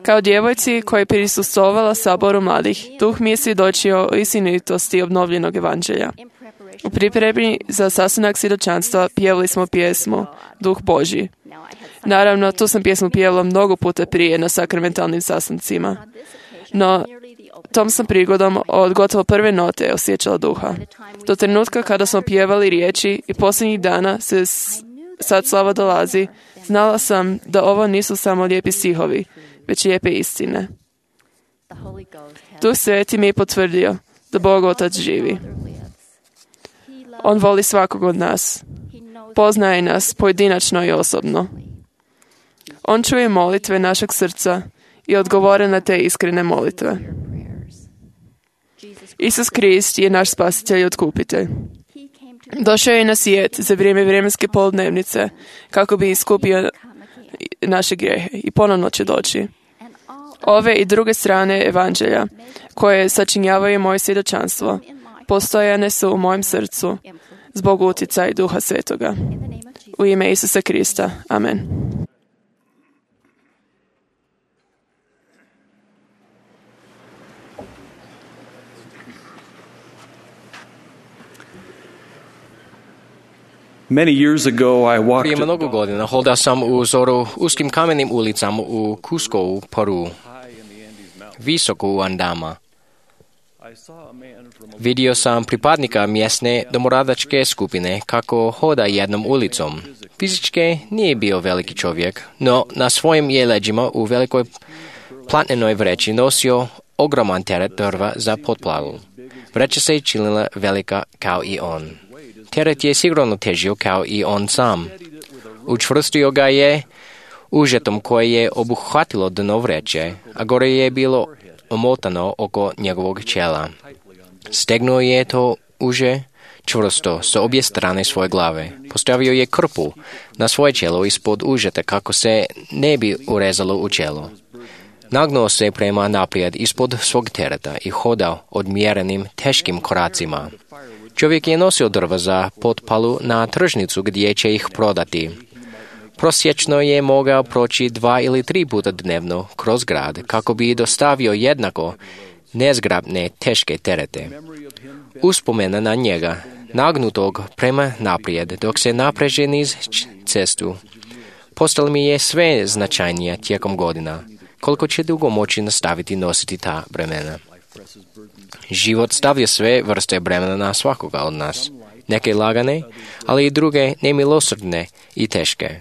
Kao djevojci koja je prisustvovala saboru mladih, duh mi je svjedočio o istinitosti obnovljenog evanđelja. U pripremi za sastanak svjedočanstva pjevali smo pjesmu Duh Božji. Naravno, tu sam pjesmu pjevala mnogo puta prije na sakramentalnim sastancima. No, tom sam prigodom od gotovo prve note osjećala duha. Do trenutka kada smo pjevali riječi i posljednjih dana se sad slava dolazi, znala sam da ovo nisu samo lijepi stihovi, već lijepe istine. Duh Sveti mi je potvrdio da Bog Otac živi. On voli svakog od nas. Poznaje nas pojedinačno i osobno. On čuje molitve našeg srca i odgovore na te iskrene molitve. Isus Krist je naš spasitelj i otkupitelj. Došao je na svijet za vrijeme vremenske poludnevnice kako bi iskupio naše grijehe i ponovno će doći. Ove i druge strane evanđelja koje sačinjavaju moje svjedočanstvo postojane su u mojem srcu zbog utjecaja Duha Svetoga. U ime Isusa Krista. Amen. Many years ago, I walked Prije mnogo godina hodao sam u zoru uskim kamenim ulicama u Cuscovu, Peru, visoko u Andama. Vidio sam pripadnika mjesne domoradačke skupine kako hoda jednom ulicom. Fizički nije bio veliki čovjek, no na svojim je leđima u velikoj platnenoj vreći nosio ogroman teret drva za potplavu. Vreća se činila velika kao i on. Teret je sigurno težio kao i on sam. Učvrstio ga je užetom koje je obuhvatilo dno vreće, a gore je bilo omotano oko njegovog čela. Stegnuo je to uže čvrsto sa obje strane svoje glave. Postavio je krpu na svoje čelo ispod užeta kako se ne bi urezalo u čelo. Nagnuo se prema naprijed ispod svog tereta i hodao odmjerenim teškim koracima. Čovjek je nosio drva za potpalu na tržnicu gdje će ih prodati. Prosječno je mogao proći dva ili tri puta dnevno kroz grad kako bi dostavio jednako nezgrapne teške terete. Uspomena na njega, nagnutog prema naprijed dok se napreže niz cestu, postala mi je sve značajnija tijekom godina, koliko će dugo moći nastaviti nositi ta bremena. Život stavlja sve vrste bremena na svakoga od nas. Neke lagane, ali i druge nemilosrdne i teške.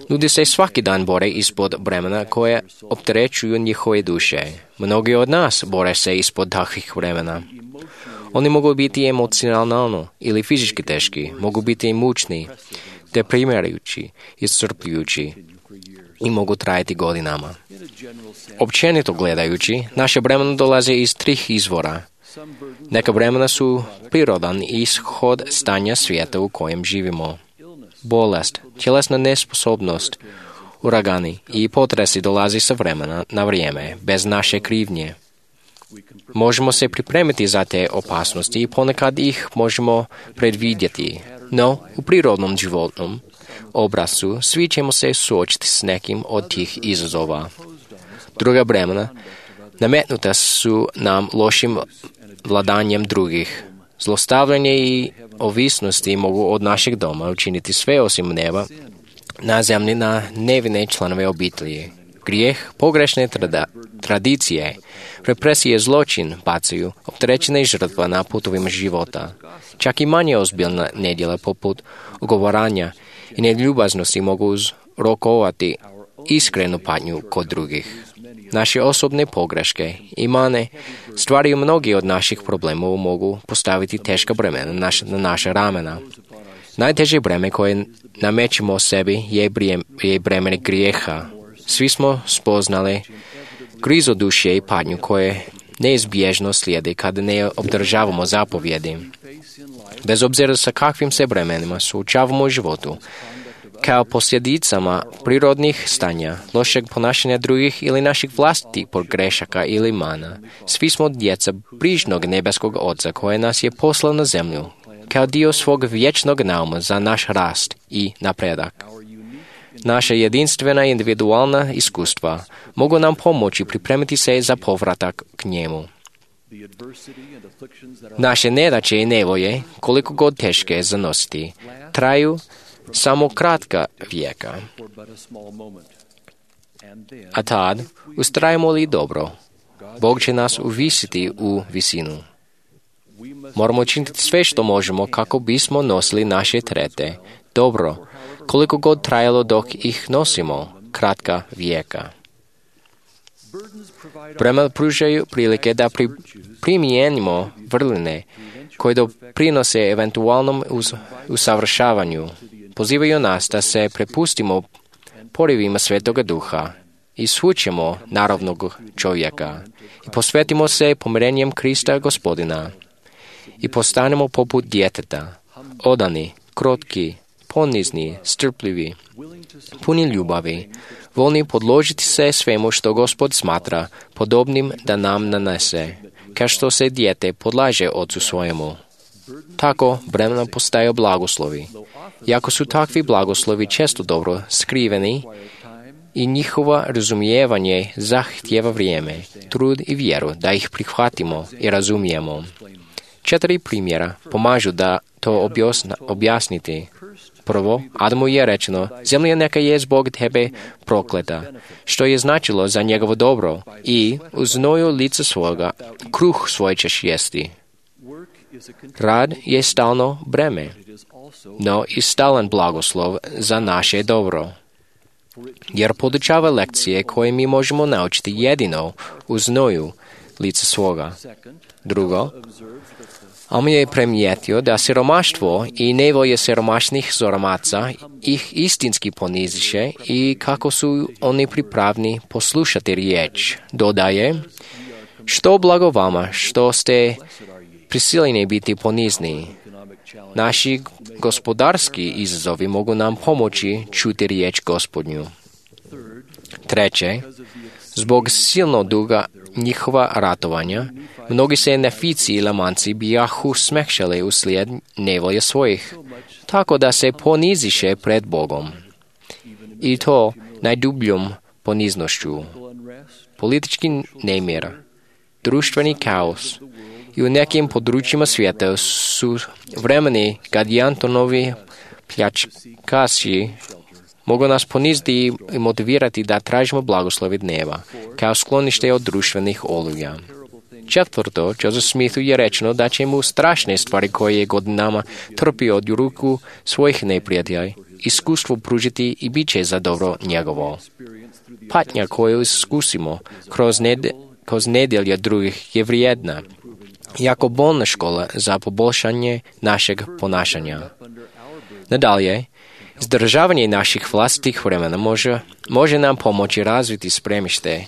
Ljudi se svaki dan bore ispod bremena koje opterećuju njihove duše. Mnogi od nas bore se ispod takvih bremena. Oni mogu biti emocionalno ili fizički teški, mogu biti mučni, deprimirajući, iscrpljujući i mogu trajati godinama. Općenito gledajući, naše bremena dolaze iz trih izvora. Neka bremena su prirodan ishod stanja svijeta u kojem živimo. Bolest, tjelesna nesposobnost, uragani i potresi dolazi sa vremena na vrijeme, bez naše krivnje. Možemo se pripremiti za te opasnosti i ponekad ih možemo predvidjeti, no u prirodnom životnom obrascu svi ćemo se suočiti s nekim od tih izazova. Druga bremena nametnuta su nam lošim vladanjem drugih. Zlostavljanje i ovisnosti mogu od našeg doma učiniti sve osim neba na zemlji na nevine članove obitelji. Grijeh, pogrešne trada, tradicije, represije, zločin bacaju opterećene žrtva na putovima života. Čak i manje ozbiljna nedjela poput ogovaranja i neljubaznosti mogu uzrokovati iskrenu patnju kod drugih. Naše osobne pogreške i mane stvaraju mnogi od naših problema mogu postaviti teška bremena na, naš, na naše ramena. Najteže breme koje namećemo sebi je, brijem, je breme grijeha. Svi smo spoznali grizo duše i patnju koje neizbježno slijedi kada ne obdržavamo zapovjedi. Bez obzira sa kakvim se bremenima suočavamo u životu, kao posljedicama prirodnih stanja, lošeg ponašanja drugih ili naših vlastitih pogrešaka ili mana, svi smo djeca brižnog nebeskog Oca koje nas je poslao na zemlju, kao dio svog vječnog nauma za naš rast i napredak. Naša jedinstvena individualna iskustva mogu nam pomoći pripremiti se za povratak k njemu. Naše nedaće i nevolje, koliko god teške zanositi, traju samo kratka vijeka. A tad, ustrajemo li dobro, Bog će nas uvisiti u visinu. Moramo činiti sve što možemo kako bismo nosili naše terete. Dobro, koliko god trajalo dok ih nosimo, kratka vijeka. Bremena pružaju prilike da pri, primijenimo vrline koje doprinose eventualnom uz, usavršavanju. Pozivaju nas da se prepustimo porivima Svetoga Duha i svučemo naravnog čovjeka i posvetimo se pomirenjem Krista Gospodina i postanemo poput djeteta, odani, krotki, ponizni, strpljivi, puni ljubavi, voljni podložiti se svemu što Gospod smatra podobnim da nam nanese, kao što se dijete podlaže ocu svojemu. Tako bremena postaju blagoslovi. Iako su takvi blagoslovi često dobro skriveni i njihovo razumijevanje zahtjeva vrijeme, trud i vjeru da ih prihvatimo i razumijemo. Četiri primjera pomažu da to objasna, objasniti. Prvo, Adamu je rečeno, zemlja neka je zbog tebe prokleta, što je značilo za njegovo dobro i u znoju lica svoga kruh svoj ćeš jesti. Rad je stalno breme, no i stalan blagoslov za naše dobro, jer podučava lekcije koje mi možemo naučiti jedino u znoju lica svoga. Drugo, on je primijetio da siromaštvo i nevolje siromašnih zoromaca ih istinski poniziše i kako su oni pripravni poslušati riječ. Dodaje, što blago vama, što ste prisiljeni biti ponizni. Naši gospodarski izazovi mogu nam pomoći čuti riječ Gospodnju. Treće, zbog silno duga njihova ratovanja, mnogi se nefici i lamanci bijahu smekšali uslijed nevolje svojih, tako da se poniziše pred Bogom. I to najdubljom poniznošću. Politički nemir, društveni kaos i u nekim područjima svijeta su vremeni kad i Antonovi pljačkaši mogu nas poniziti i motivirati da tražimo blagoslovi dneva, kao sklonište od društvenih oluja. Četvrto, Joseph Smithu je rečeno da će mu strašne stvari koje je godinama trpio od ruku svojih neprijatelja iskustvo pružiti i bit će za dobro njegovo. Patnja koju iskusimo kroz, ned, kroz nedjelje drugih je vrijedna, jako bolna škola za poboljšanje našeg ponašanja. Nadalje, izdržavanje naših vlastitih vremena može, može nam pomoći razviti spremište,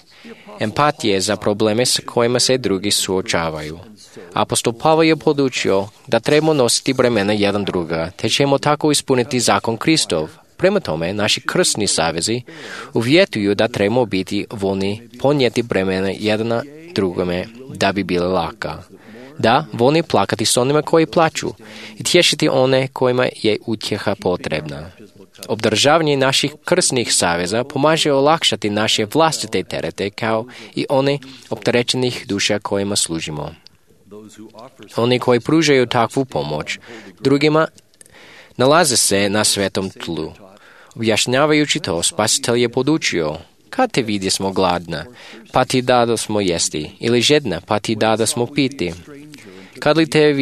empatije za probleme s kojima se drugi suočavaju. Apostol Pavao je podučio da trebamo nositi bremena jedan druga, te ćemo tako ispuniti zakon Kristov. Prema tome, naši krstni savezi uvjetuju da trebamo biti voljni ponijeti bremena jedan drugome da bi bile laka. Da, voljni plakati s onima koji plaću i tješiti one kojima je utjeha potrebna. Obdržavanje naših krstnih saveza pomaže olakšati naše vlastite terete kao i one opterećenih duša kojima služimo. Oni koji pružaju takvu pomoć drugima nalaze se na svetom tlu. Objašnjavajući to, Spasitelj je podučio: kad te vidjesmo gladna, pa ti dado smo jesti, ili žedna, pa ti dado smo piti. Kad li te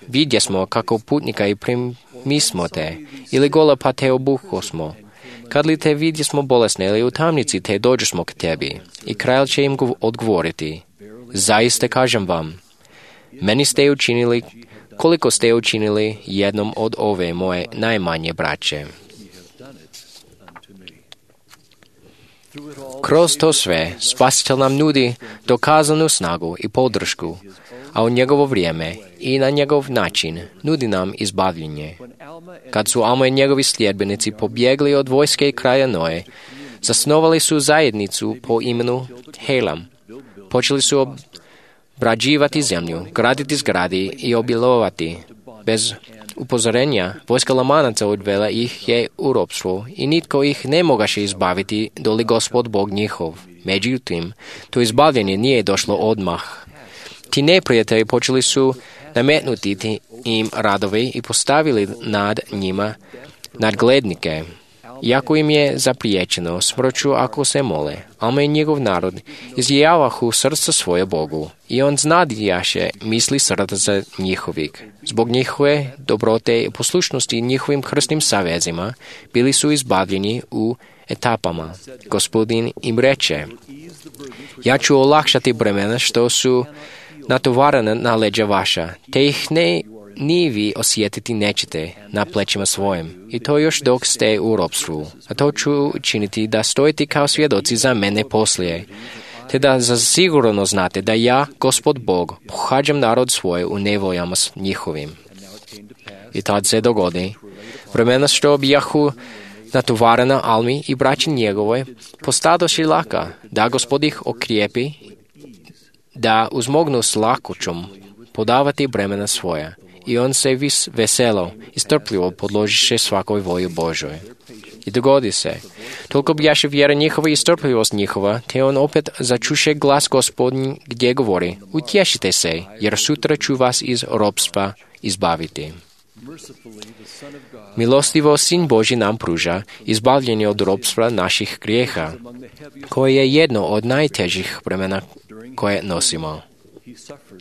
vidjesmo kako putnika i primismo te, ili gola pa te obuhosmo. Kad li te vidjesmo bolesne ili u tamnici te dođesmo k tebi. I kralj će im odgovoriti: zaista kažem vam, meni ste učinili koliko ste učinili jednom od ove moje najmanje braće. Kroz to sve, Spasitelj nam nudi dokazanu snagu i podršku, a u njegovo vrijeme i na njegov način nudi nam izbavljenje. Kad su Alma i njegovi sljedbenici pobjegli od vojske kralja Noe, zasnovali su zajednicu po imenu Helam. Počeli su obrađivati zemlju, graditi zgradi i obilovati. Bez upozorenja, vojska Lamanaca odvela ih je u ropstvo i nitko ih ne mogaše izbaviti doli Gospod Bog njihov. Međutim, to izbavljenje nije došlo odmah. Ti neprijatelji počeli su nametnuti im radovi i postavili nad njima nadglednike. Iako im je zapriječeno smrću ako se mole, Alma i njegov narod izjavahu srca svoje Bogu i on znadijaše misli srca njihovih. Zbog njihove dobrote i poslušnosti njihovim krstnim savezima bili su izbavljeni u etapama. Gospodin im reče, ja ću olakšati bremena što su natovarena na leđa vaša, te ih ne ni vi osjetiti nećete na plećima svojim. I to još dok ste u ropstvu. A to ću činiti da stojite kao svjedoci za mene poslije. Te da zasigurno znate da ja, Gospod Bog, pohađam narod svoj u nevoljama s njihovim. I tad se dogodi. Vremena što bijahu natovarena Almi i braći njegove postadoši laka, da Gospod ih okrijepi, da uzmognu s lakoćom podavati bremena svoja. I on se vis veselo i strpljivo podložiše svakoj volji Božoj. I dogodi se. Toliko bjaše vjera njihova i strpljivost njihova, te on opet začuše glas Gospodnji gdje govori, utješite se, jer sutra ću vas iz ropstva izbaviti. Milostivo Sin Božji nam pruža izbavljenje od ropstva naših grijeha, koje je jedno od najtežih bremena koje nosimo.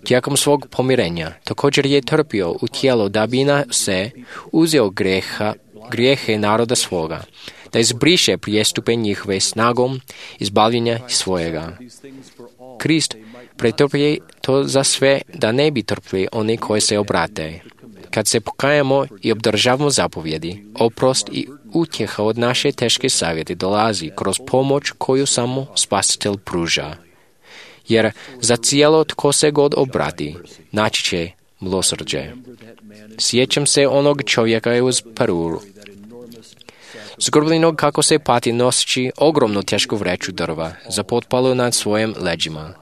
Tijekom svog pomirenja također je trpio u tijelo da bi na se uzeo greha, grijehe naroda svoga, da izbriše prijestupe njihove snagom izbavljenja svojega. Krist pretrpije to za sve da ne bi trpili oni koji se obrate. Kad se pokajamo i obdržavamo zapovjedi, oprost i utjeha od naše teške savjeti dolazi kroz pomoć koju samo Spasitelj pruža. Jer za cijelo tko se god obrati, naći će milosrđe. Sjećam se onog čovjeka uz Peru, zgrbljenog kako se pati noseći ogromnu tešku vreću drva za potpalu nad svojim leđima.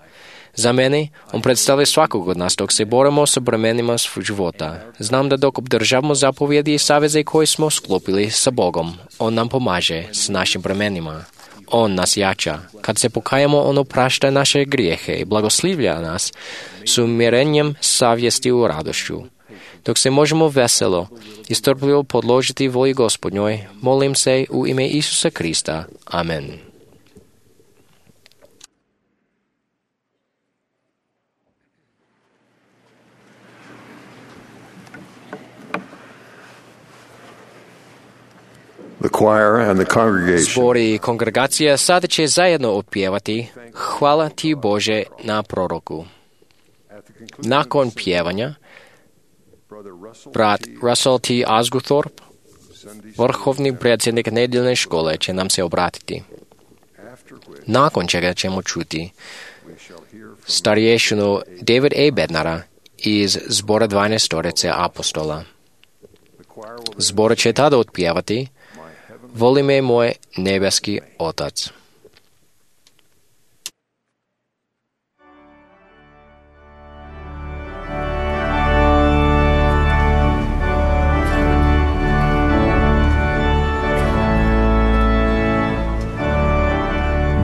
Za mene, on predstavlja svakog od nas dok se borimo sa bremenima života. Znam da dok obdržavamo zapovjedi i saveze koje smo sklopili sa Bogom, on nam pomaže s našim bremenima. On nas jača. Kad se pokajamo, on oprašta naše grijehe i blagoslivlja nas s umirenjem savjesti u radošću. Dok se možemo veselo i strpljivo podložiti volji Gospodnjoj, molim se u ime Isusa Krista. Amen. The choir and the congregation Zbor i kongregacija sada će zajedno opjevati Hvala ti Bože na proroku. Nakon pjevanja, brat Russell T. Asguthorpe, vrhovni predsjednik nedjeljne škole, će nam se obratiti. Nakon čega ćemo čuti starješinu David A. Bednara iz zbora dvanaestorice apostola. Zbor će tada otpjevati Voli me moj nebeski Otac.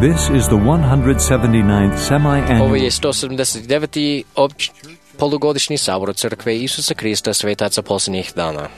This is the one hundred seventy-ninth semi-annual. Ovo je sto sedamdeset deveti opć polugodišnji sabor Crkve Isusa Krista Svetaca posljednjih dana.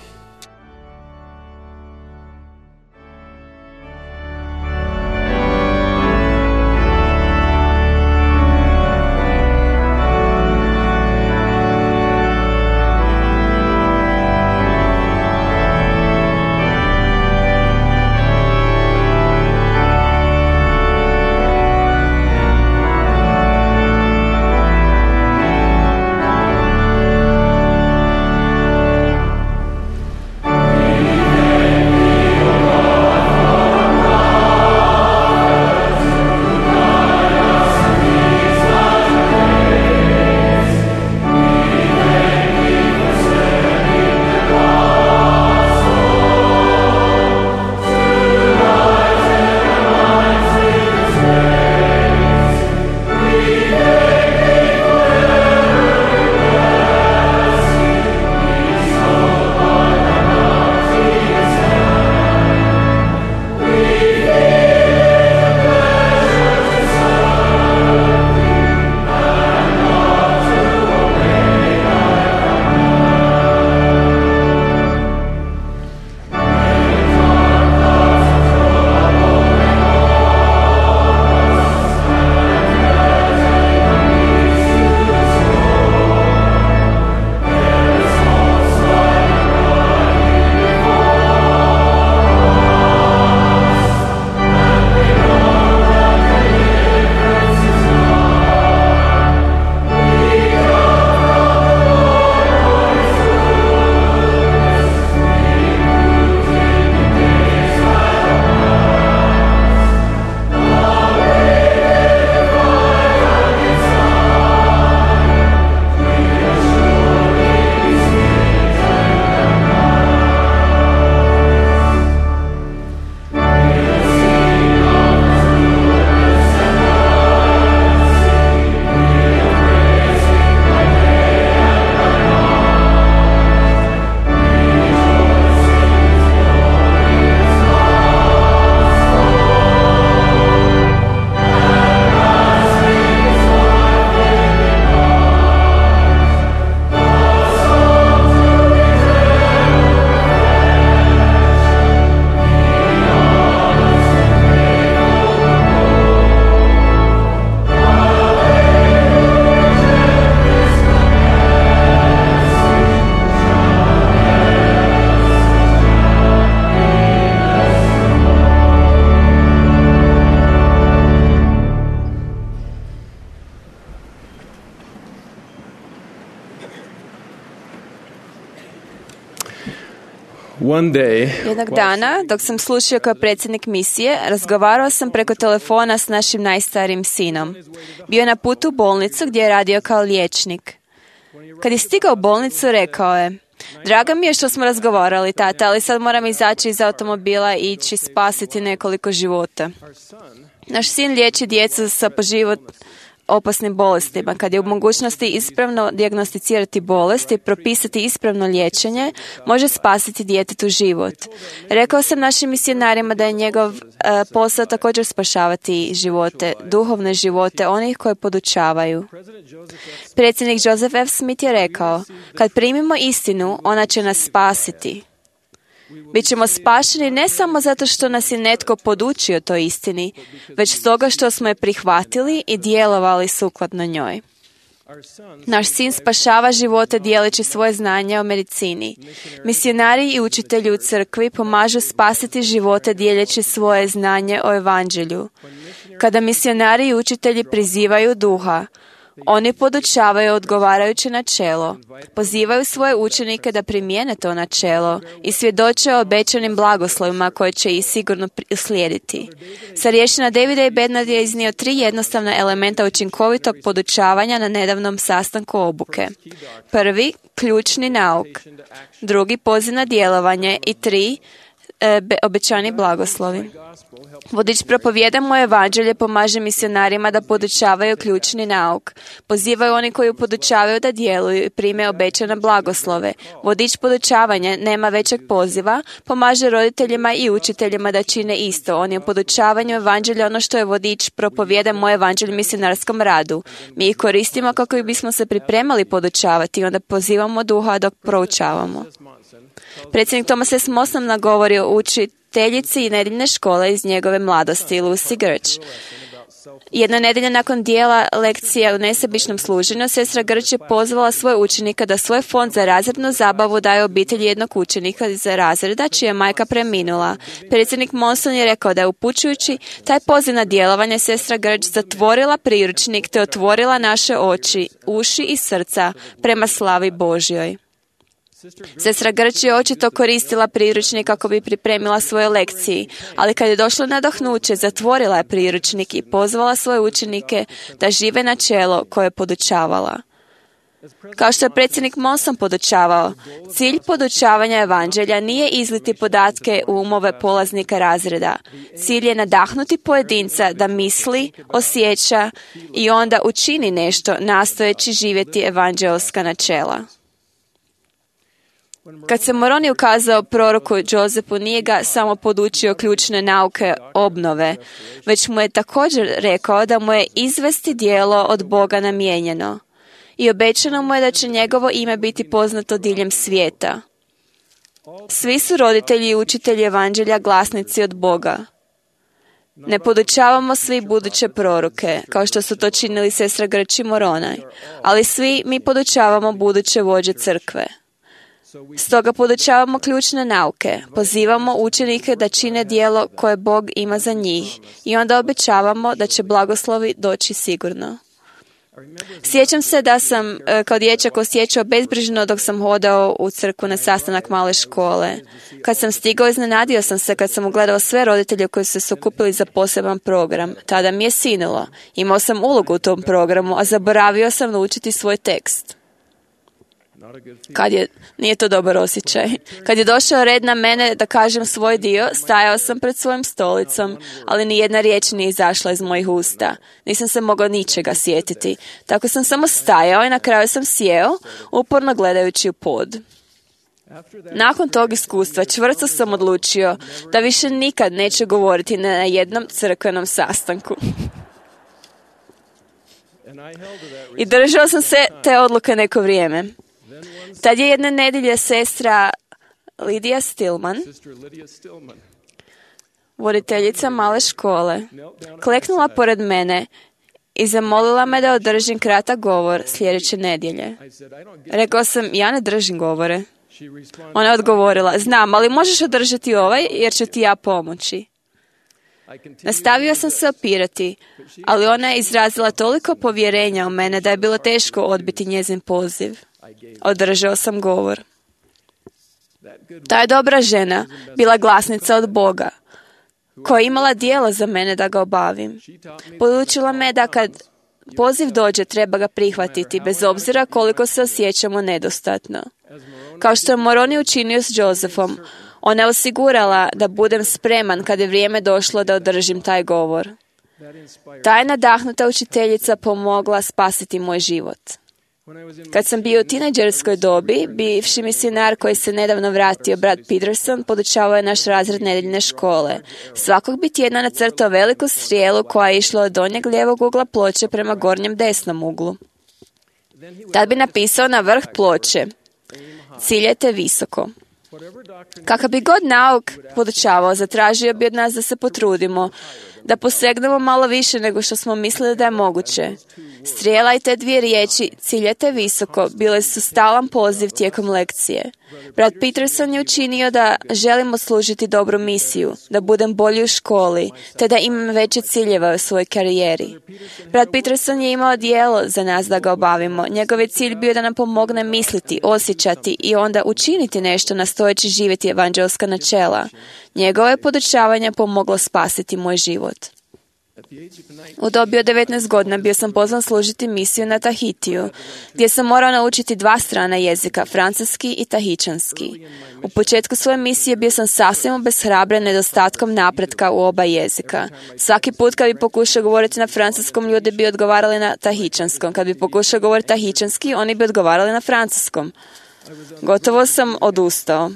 One day, Jednog dana, dok sam slušao kao predsjednik misije, razgovarao sam preko telefona s našim najstarijim sinom. Bio je na putu u bolnicu gdje je radio kao liječnik. Kad je stigao u bolnicu, rekao je: "Drago mi je što smo razgovarali, tata, ali sad moram izaći iz automobila i ići spasiti nekoliko života." Naš sin liječi djecu sa po život opasnim bolestima. Kad je u mogućnosti ispravno dijagnosticirati bolest i propisati ispravno liječenje, može spasiti djetetu život. Rekao sam našim misionarima da je njegov uh, posao također spašavati živote, duhovne živote onih koje podučavaju. Predsjednik Joseph F. Smith je rekao: "Kad primimo istinu, ona će nas spasiti." Bićemo spašeni ne samo zato što nas je netko podučio toj istini, već stoga što smo je prihvatili i djelovali sukladno njoj. Naš sin spašava živote dijeleći svoje znanje o medicini. Misionari i učitelji u crkvi pomažu spasiti živote dijeleći svoje znanje o evanđelju. Kada misionari i učitelji prizivaju duha, oni podučavaju odgovarajuće načelo, pozivaju svoje učenike da primijene to načelo i svjedoče o obećanim blagoslovima koje će ih sigurno slijediti. Starješina Davida i Bernard je iznio tri jednostavna elementa učinkovitog podučavanja na nedavnom sastanku obuke. Prvi, ključni nauk. Drugi, poziv na djelovanje. I tri, e, be, obećani blagoslovi. Vodič propovjeda mu evanđelje pomaže misionarima da podučavaju ključni nauk. Pozivaju oni koji podučavaju da djeluju i prime obećane blagoslove. Vodič podučavanja nema većeg poziva, pomaže roditeljima i učiteljima da čine isto. On je u podučavanju evanđelja ono što je vodič propovjeda mu evanđelju misionarskom radu. Mi ih koristimo kako bismo se pripremali podučavati i onda pozivamo duha dok proučavamo. Predsjednik Thomas S. Monson nagovorio učiteljici i nedjeljne škole iz njegove mladosti, Lucy Grč. Jedna nedjelja nakon dijela lekcija u nesebičnom služenju, sestra Grč je pozvala svoje učenika da svoj fond za razrednu zabavu daje obitelji jednog učenika iz razreda čija je majka preminula. Predsjednik Monson je rekao da je upućujući taj poziv na djelovanje, sestra Grč zatvorila priručnik te otvorila naše oči, uši i srca prema slavi Božjoj. Sestra Grč je očito koristila priručnik kako bi pripremila svoje lekcije, ali kad je došlo nadahnuće, zatvorila je priručnik i pozvala svoje učenike da žive načelo koje je podučavala. Kao što je predsjednik Monson podučavao, cilj podučavanja evanđelja nije izliti podatke u umove polaznika razreda. Cilj je nadahnuti pojedinca da misli, osjeća i onda učini nešto nastojeći živjeti evanđelska načela. Kad se Moroni ukazao proroku Josefu, nije ga samo podučio ključne nauke obnove, već mu je također rekao da mu je izvesti djelo od Boga namijenjeno. I obećano mu je da će njegovo ime biti poznato diljem svijeta. Svi su roditelji i učitelji evanđelja glasnici od Boga. Ne podučavamo svi buduće proroke, kao što su to činili sestra Grč i Moronaj, ali svi mi podučavamo buduće vođe crkve. Stoga podučavamo ključne nauke, pozivamo učenike da čine djelo koje Bog ima za njih i onda obećavamo da će blagoslovi doći sigurno. Sjećam se da sam kao dječak osjećao bezbrižno dok sam hodao u crkvu na sastanak male škole. Kad sam stigao, iznenadio sam se kad sam ugledao sve roditelje koji su se okupili za poseban program. Tada mi je sinulo. Imao sam ulogu u tom programu, a zaboravio sam naučiti svoj tekst. Kad je, nije to dobar osjećaj. Kad je došao red na mene da kažem svoj dio, stajao sam pred svojim stolicom, ali ni jedna riječ nije izašla iz mojih usta. Nisam se mogao ničega sjetiti. Tako sam samo stajao i na kraju sam sjeo, uporno gledajući u pod. Nakon tog iskustva čvrsto sam odlučio da više nikad neću govoriti na jednom crkvenom sastanku. I držao sam se te odluke neko vrijeme. Tad je jedna nedjelja sestra Lidija Stillman, voditeljica male škole, kleknula pored mene i zamolila me da održim kratak govor sljedeće nedjelje. Rekao sam, ja ne držim govore. Ona je odgovorila, znam, ali možeš održati ovaj jer ću ti ja pomoći. Nastavio sam se opirati, ali ona je izrazila toliko povjerenja u mene da je bilo teško odbiti njezin poziv. Održao sam govor. Ta je dobra žena bila glasnica od Boga, koja je imala dijelo za mene da ga obavim. Podučila me da kad poziv dođe, treba ga prihvatiti, bez obzira koliko se osjećamo nedostatno. Kao što je Moroni učinio s Josephom, ona je osigurala da budem spreman kad je vrijeme došlo da održim taj govor. Ta je nadahnuta učiteljica pomogla spasiti moj život. Kad sam bio u tinejdžerskoj dobi, bivši misionar koji se nedavno vratio, brat Peterson, podučavao je naš razred nedeljne škole. Svakog bi tjedna nacrtao veliku strijelu koja je išla od donjeg lijevog ugla ploče prema gornjem desnom uglu. Tad bi napisao na vrh ploče: ciljajte visoko. Kakav bi god nauk podučavao, zatražio bi od nas da se potrudimo, da posegnemo malo više nego što smo mislili da je moguće. Strijela i te dvije riječi, ciljajte visoko, bile su stalan poziv tijekom lekcije. Brat Peterson je učinio da želimo služiti dobru misiju, da budem bolji u školi, te da imam veće ciljeve u svojoj karijeri. Brat Peterson je imao dijelo za nas da ga obavimo. Njegov je cilj bio da nam pomogne misliti, osjećati i onda učiniti nešto nastojeći živjeti evanđelska načela. Njegovo je podučavanje pomoglo spasiti moj život. U dobi od devetnaest godina bio sam pozvan služiti misiju na Tahitiju, gdje sam morao naučiti dva strana jezika, francuski i tahičanski. U početku svoje misije bio sam sasvim obeshrabren nedostatkom napretka u oba jezika. Svaki put kad bi pokušao govoriti na francuskom, ljudi bi odgovarali na tahičanskom. Kad bi pokušao govoriti tahičanski, oni bi odgovarali na francuskom. Gotovo sam odustao.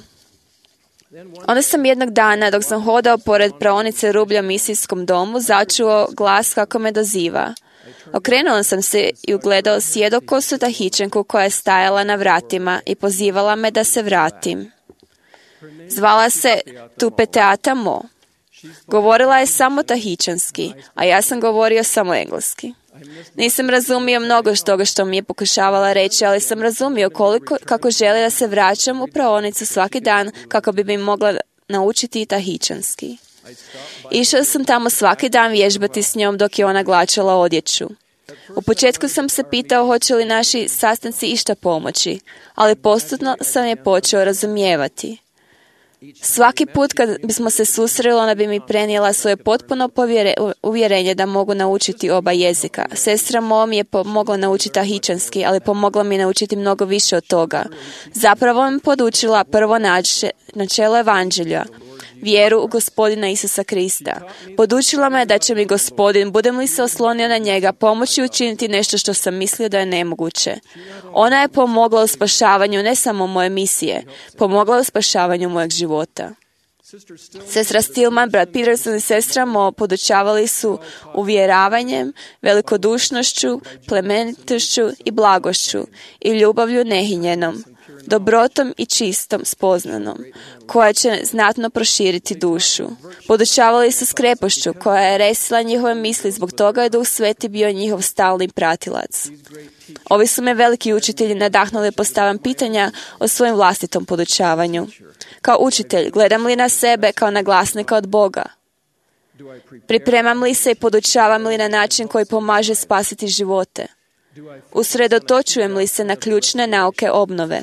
Onda sam jednog dana, dok sam hodao pored praonice rublja u misijskom domu, začuo glas kako me doziva. Okrenuo sam se i ugledao sjedokosu tahičanku koja je stajala na vratima i pozivala me da se vratim. Zvala se Tupeteata Mo. Govorila je samo tahičanski, a ja sam govorio samo engleski. Nisam razumio mnogo što toga što mi je pokušavala reći, ali sam razumio koliko, kako želi da se vraćam u praonicu svaki dan kako bi mi mogla naučiti i tahičanski. Išao sam tamo svaki dan vježbati s njom dok je ona glačala odjeću. U početku sam se pitao hoće li naši sastanci išta pomoći, ali postupno sam je počeo razumijevati. Svaki put kad bismo se susreli, ona bi mi prenijela svoje potpuno povjere, uvjerenje da mogu naučiti oba jezika. Sestra Mo mi je pomogla naučiti tahičanski, ali pomogla mi naučiti mnogo više od toga. Zapravo mi podučila prvo nače, načelo evanđelja, vjeru u Gospodina Isusa Krista. Podučila me da će mi Gospodin, budem li se oslonio na njega, pomoći učiniti nešto što sam mislio da je nemoguće. Ona je pomogla u spašavanju ne samo moje misije, pomogla u spašavanju mojeg života. Sestra Stillman, brat Peterson i sestra Mo podučavali su uvjeravanjem, velikodušnošću, plemenitošću i blagošću i ljubavlju nehinjenom, dobrotom i čistom spoznanom, koja će znatno proširiti dušu. Podučavali su skrepošću, koja je resila njihove misli, zbog toga je Duh Sveti bio njihov stalni pratilac. Ovi su me veliki učitelji nadahnuli postavljam pitanja o svojem vlastitom podučavanju. Kao učitelj, gledam li na sebe kao na glasnika od Boga? Pripremam li se i podučavam li na način koji pomaže spasiti živote? Usredotočujem li se na ključne nauke obnove?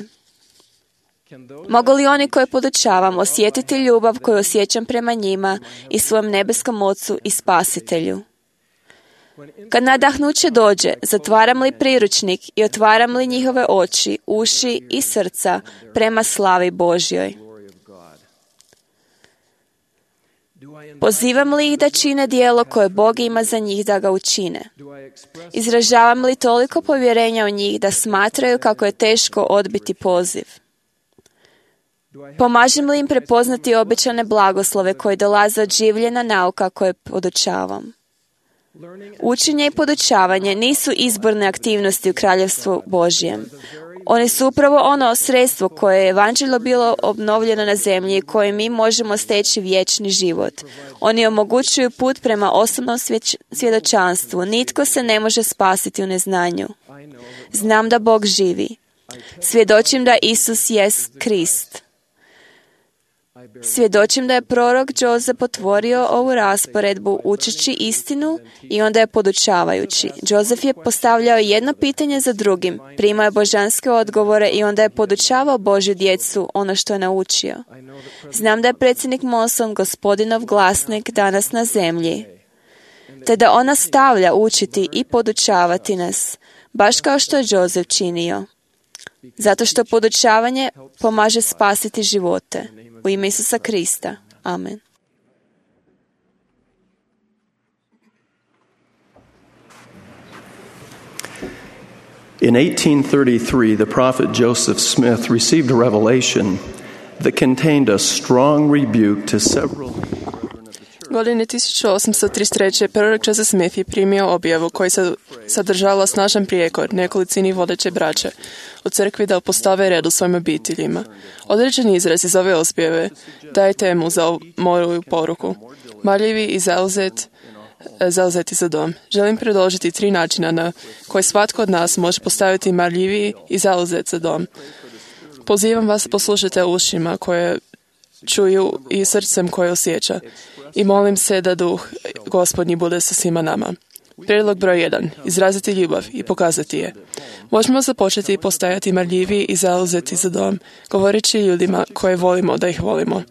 Mogu li oni koje podučavam osjetiti ljubav koju osjećam prema njima i svojem nebeskom Ocu i Spasitelju? Kad nadahnuće dođe, zatvaram li priručnik i otvaram li njihove oči, uši i srca prema slavi Božjoj? Pozivam li ih da čine djelo koje Bog ima za njih da ga učine? Izražavam li toliko povjerenja u njih da smatraju kako je teško odbiti poziv? Pomažem li im prepoznati obećane blagoslove koje dolaze od življena nauka koje podučavam? Učenje i podučavanje nisu izborne aktivnosti u Kraljevstvu Božjem. Oni su upravo ono sredstvo koje je evanđelje bilo obnovljeno na zemlji i koje mi možemo steći vječni život. Oni omogućuju put prema osobnom svjedočanstvu. Nitko se ne može spasiti u neznanju. Znam da Bog živi. Svjedočim da Isus jest Krist. Svjedočim da je prorok Joseph otvorio ovu rasporedbu učeći istinu i onda je podučavajući. Joseph je postavljao jedno pitanje za drugim, primao je božanske odgovore i onda je podučavao Božju djecu ono što je naučio. Znam da je predsjednik Monson gospodinov glasnik danas na zemlji, te da on nastavlja učiti i podučavati nas, baš kao što je Joseph činio. Zato što podučavanje pomaže spasiti živote. U ime Isusa Krista. Amen. In eighteen thirty-three, the prophet Joseph Smith received a revelation that contained a strong rebuke to several Godine tisuću osamsto trideset treće. prorok Joseph Smith je primio objavu koji se sadržavala snažan prijekor nekolicini vodeće braće u crkvi da postave red u svojim obiteljima. Određeni izraz iz ove objave daje temu za moju poruku. Marljivi i zauzet, zauzeti za dom. Želim predložiti tri načina na koje svatko od nas može postaviti marljiviji i zauzet za dom. Pozivam vas da poslušate ušima koje čuju i srcem koje osjeća. I molim se da duh Gospodnji bude sa svima nama. Prijedlog broj jedan. Izraziti ljubav i pokazati je. Možemo započeti postajati marljivi i zauzeti za dom, govoreći ljudima koje volimo da ih volimo.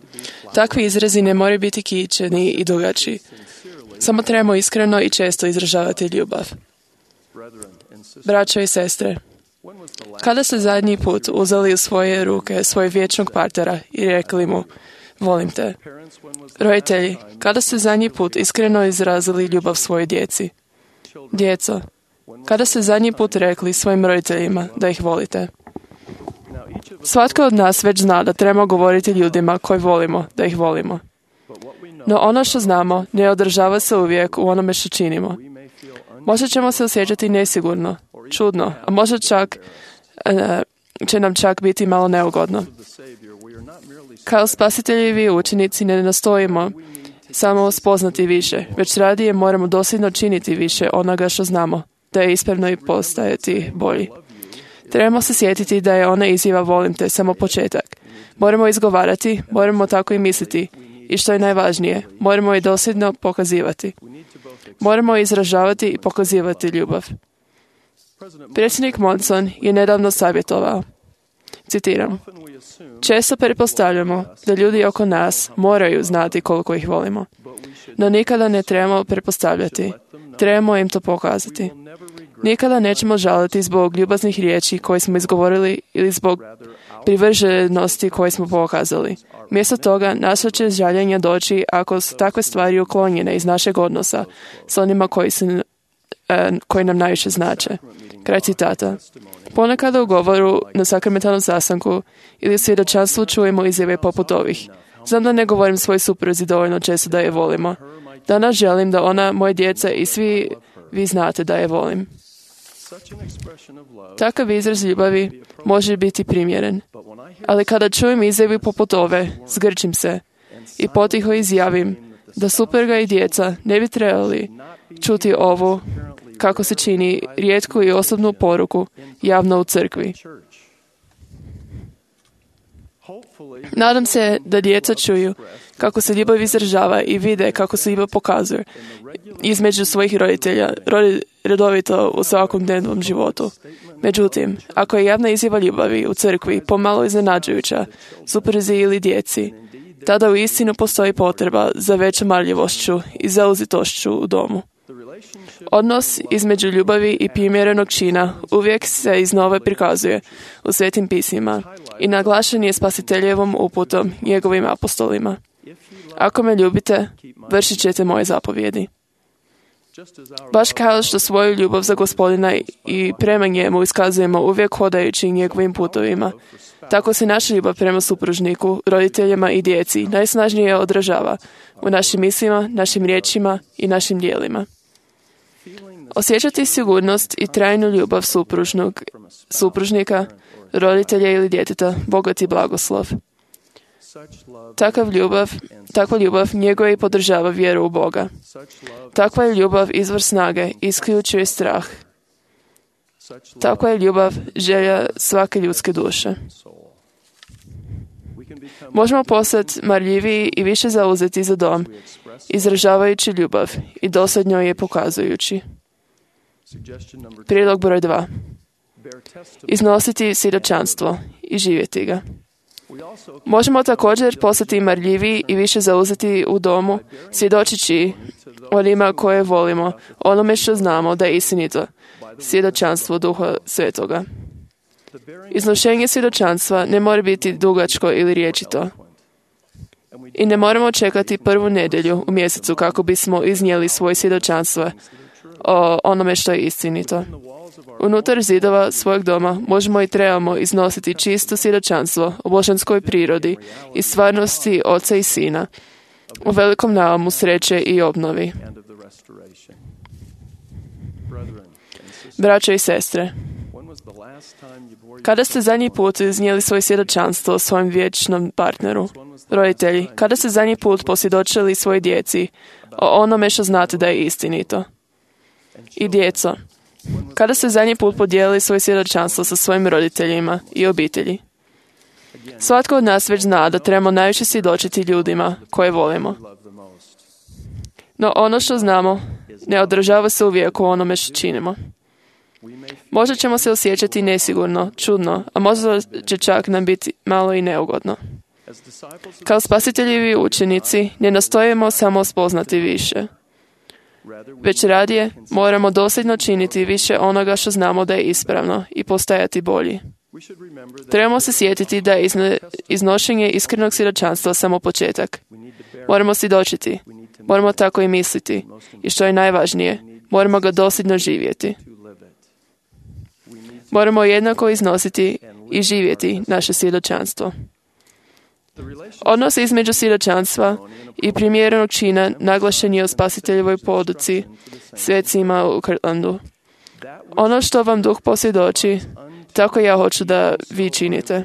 Takvi izrazi ne moraju biti kičeni i dugački. Samo trebamo iskreno i često izražavati ljubav. Braćo i sestre, kada ste zadnji put uzeli u svoje ruke svojeg vječnog partnera i rekli mu, volim te? Roditelji, kada ste zadnji put iskreno izrazili ljubav svojoj djeci? Djeco, kada ste zadnji put rekli svojim roditeljima da ih volite? Svatko od nas već zna da trebamo govoriti ljudima koji volimo da ih volimo. No ono što znamo ne održava se uvijek u onome što činimo. Možda ćemo se osjećati nesigurno, čudno, a možda čak e, će nam čak biti malo neugodno. Kao spasiteljevi učenici ne nastojimo samo spoznati više, već radije moramo dosljedno činiti više onoga što znamo, da je ispravno i postajati bolji. Trebamo se sjetiti da je ona izjava volim te samo početak. Moramo izgovarati, moramo tako i misliti i što je najvažnije, moramo je dosljedno pokazivati. Moramo izražavati i pokazivati ljubav. Predsjednik Monson je nedavno savjetovao, citiram, često pretpostavljamo da ljudi oko nas moraju znati koliko ih volimo, no nikada ne trebamo pretpostavljati, trebamo im to pokazati. Nikada nećemo žaliti zbog ljubaznih riječi koje smo izgovorili ili zbog privrženosti koje smo pokazali. Mjesto toga, naša će žaljenja doći ako su takve stvari uklonjene iz našeg odnosa s onima koji, se, e, koji nam najviše znače. Kraj citata. Ponekad u govoru na sakramentalnom sastanku ili svjedočanstvu čujemo izjave poput ovih. Znam da ne govorim svoj supruzi dovoljno često da je volimo. Danas želim da ona, moje djeca i svi vi znate da je volim. Takav izraz ljubavi može biti primjeren, ali kada čujem izjavi poput ove, zgrčim se i potiho izjavim da supruga i djeca ne bi trebali čuti ovu, kako se čini, rijetku i osobnu poruku javno u crkvi. Nadam se da djeca čuju kako se ljubav izražava i vide kako se ljubav pokazuje između svojih roditelja redovito u svakom dnevnom životu. Međutim, ako je javna izjava ljubavi u crkvi pomalo iznenađujuća supruzi ili djeci, tada u istinu postoji potreba za većom marljivošću i zauzetošću u domu. Odnos između ljubavi i primjerenog čina uvijek se iznova prikazuje u Svetim pismima i naglašen je Spasiteljevom uputom njegovim apostolima. Ako me ljubite, vršit ćete moje zapovjedi. Baš kao što svoju ljubav za Gospodina i prema njemu iskazujemo uvijek hodajući njegovim putovima, tako se naša ljubav prema supružniku, roditeljima i djeci najsnažnije odražava u našim mislima, našim riječima i našim djelima. Osjećati sigurnost i trajnu ljubav supružnog, supružnika, roditelja ili djeteta, bogat i blagoslov. Takav ljubav, takva ljubav njeguje i podržava vjeru u Boga. Takva je ljubav izvor snage i isključuje strah. Takva je ljubav želja svake ljudske duše. Možemo postati marljiviji i više zauzeti za dom, izražavajući ljubav i dosadnjo je pokazujući. Prijedlog broj dva. Iznositi svjedočanstvo i živjeti ga. Možemo također postati marljiviji i više zauzeti u domu, svjedočići onima koje volimo, onome što znamo da je istinito, svjedočanstvo Duha Svetoga. Iznošenje svjedočanstva ne mora biti dugačko ili riječito. I ne moramo čekati prvu nedjelju u mjesecu kako bismo iznijeli svoje svjedočanstvo o onome što je istinito. Unutar zidova svojeg doma možemo i trebamo iznositi čisto svjedočanstvo o božanskoj prirodi i stvarnosti Oca i Sina, u velikom naumu sreće i obnovi. Braćo i sestre, kada ste zadnji put iznijeli svoje svjedočanstvo o svojem vječnom partneru? Roditelji, kada ste zadnji put posvjedočili svojoj djeci o onome što znate da je istinito? I djeco, kada ste zadnji put podijelili svoje svjedočanstvo sa svojim roditeljima i obitelji? Svatko od nas već zna da trebamo najviše svjedočiti ljudima koje volimo. No ono što znamo ne održava se uvijek u onome što činimo. Možda ćemo se osjećati nesigurno, čudno, a možda će čak nam biti malo i neugodno. Kao spasiteljivi učenici ne nastojimo samo spoznati više. Već radije moramo dosljedno činiti više onoga što znamo da je ispravno i postajati bolji. Trebamo se sjetiti da je izne, iznošenje iskrenog svjedočanstva samo početak. Moramo svjedočiti, moramo tako i misliti i što je najvažnije, moramo ga dosljedno živjeti. Moramo jednako iznositi i živjeti naše svjedočanstvo. Odnos između svjedočanstva i primjerenog čina naglašen je u Spasiteljevoj poduci svecima u Kirtlandu. Ono što vam Duh posvjedoči, tako ja hoću da vi činite.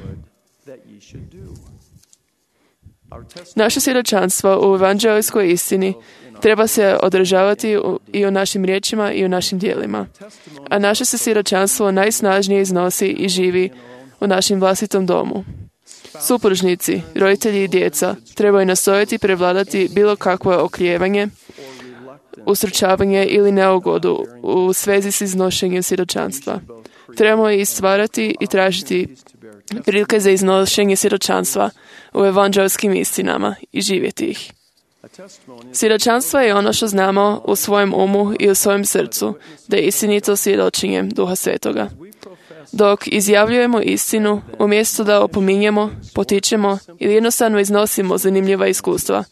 Naše svjedočanstvo u evanđelijskoj istini treba se održavati i u našim riječima i u našim djelima. A naše se svjedočanstvo najsnažnije iznosi i živi u našem vlastitom domu. Supružnici, roditelji i djeca trebaju nastojati prevladati bilo kakvo oklijevanje, ustručavanje ili neugodu u svezi s iznošenjem svjedočanstva. Trebamo i stvarati i tražiti prilike za iznošenje svjedočanstva u evanđelskim istinama i živjeti ih. Svjedočanstvo je ono što znamo u svojem umu i u svojem srcu, da je istinito svjedočenjem Duha Svetoga. Dok izjavljujemo istinu, umjesto da opominjemo, potičemo ili jednostavno iznosimo zanimljiva iskustva,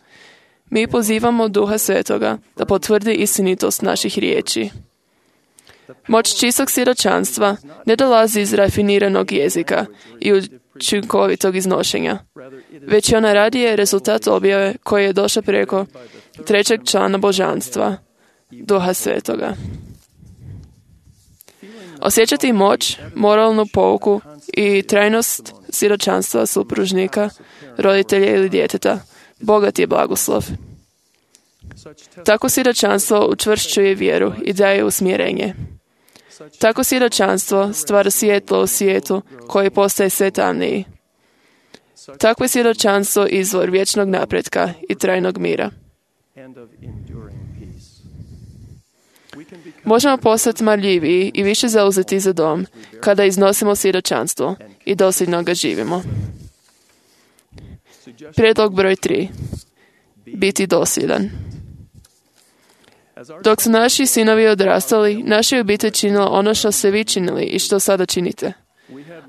mi pozivamo Duha Svetoga da potvrdi istinitost naših riječi. Moć čistog svjedočanstva ne dolazi iz rafiniranog jezika i učinkovitog iznošenja, već je ona radije rezultat objave koji je došao preko trećeg člana božanstva, Duha Svetoga. Osjećati moć, moralnu pouku i trajnost svjedočanstva supružnika, roditelja ili djeteta, bogat je blagoslov. Tako svjedočanstvo učvršćuje vjeru i daje usmjerenje. Tako svjedočanstvo stvara svjetlo u svijetu koji postaje sve tamniji. Takvo svjedočanstvo izvor vječnog napretka i trajnog mira. Možemo postati marljiviji i više zauzeti za dom kada iznosimo svjedočanstvo i dosljedno ga živimo. Prijedlog broj tri. Biti dosljedan. Dok su naši sinovi odrastali, naša obitelj činila ono što ste vi činili i što sada činite.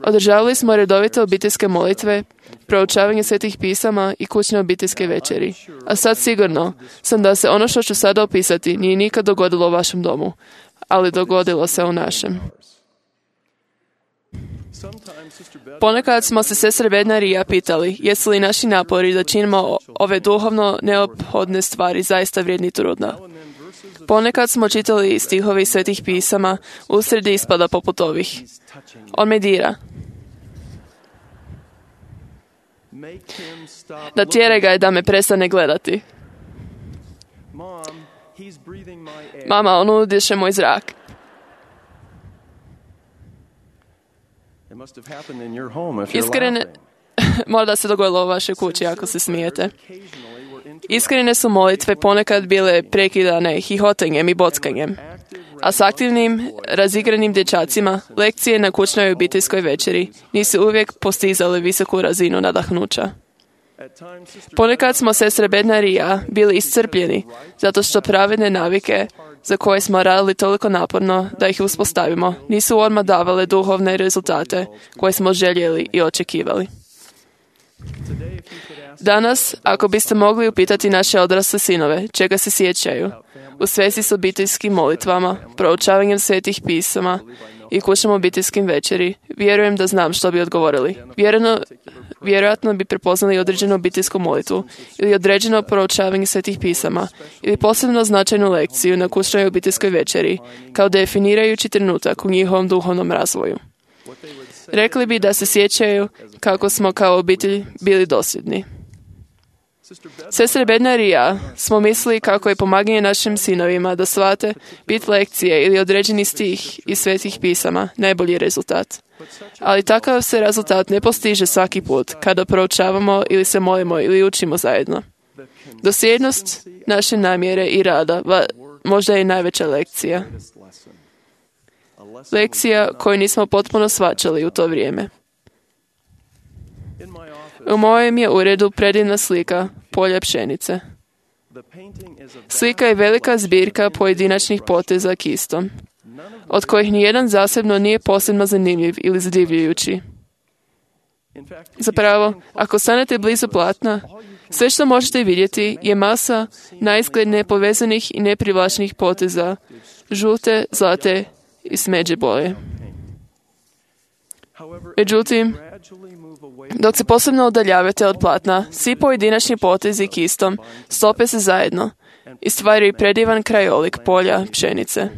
Održavali smo redovite obiteljske molitve, proučavanje svetih pisama i kućne obiteljske večeri. A sad sigurno sam da se ono što ću sada opisati nije nikad dogodilo u vašem domu, ali dogodilo se u našem. Ponekad smo se sestre Bednar i ja pitali, jesu li naši napori da činimo ove duhovno neophodne stvari zaista vrijedni truda. Ponekad smo čitali stihove iz svetih pisama, usred ispada poput ovih. On me dira. Natjeraj ga da me prestane gledati. Mama, on udiše moj zrak. Iskrene, možda se dogodilo u vašoj kući ako se smijete. Iskrene su molitve ponekad bile prekidane hihotanjem i bockanjem, a s aktivnim, razigranim dječacima lekcije na kućnoj obiteljskoj večeri nisu uvijek postizale visoku razinu nadahnuća. Ponekad smo sestre Bednar i ja bili iscrpljeni zato što pravedne navike za koje smo radili toliko naporno da ih uspostavimo nisu odmah davale duhovne rezultate koje smo željeli i očekivali. Danas, ako biste mogli upitati naše odrasle sinove čega se sjećaju, u svezi s obiteljskim molitvama, proučavanjem svetih pisama i kućnom obiteljskim večeri, vjerujem da znam što bi odgovorili. Vjerojatno, vjerojatno bi prepoznali određenu obiteljsku molitvu ili određeno proučavanje svetih pisama ili posebno značajnu lekciju na kućnoj obiteljskoj večeri kao definirajući trenutak u njihovom duhovnom razvoju. Rekli bi da se sjećaju kako smo kao obitelj bili dosljedni. Sestre Bednar i ja smo mislili kako je pomaganje našim sinovima da shvate bit lekcije ili određeni stih iz svetih pisama najbolji rezultat. Ali takav se rezultat ne postiže svaki put kada proučavamo ili se molimo ili učimo zajedno. Dosljednost naše namjere i rada va, možda je najveća lekcija. Lekcija koju nismo potpuno shvaćali u to vrijeme. U mojem je uredu predivna slika polja pšenice. Slika je velika zbirka pojedinačnih poteza kistom, od kojih nijedan zasebno nije posebno zanimljiv ili zadivljujući. Zapravo, ako stanete blizu platna, sve što možete vidjeti je masa naizgled nepovezanih i neprivlačnih poteza, žute, zlate i smeđe boje. Međutim, dok se posebno udaljavate od platna, svi pojedinačni potezi kistom stope se zajedno i stvaraju predivan krajolik polja pšenice.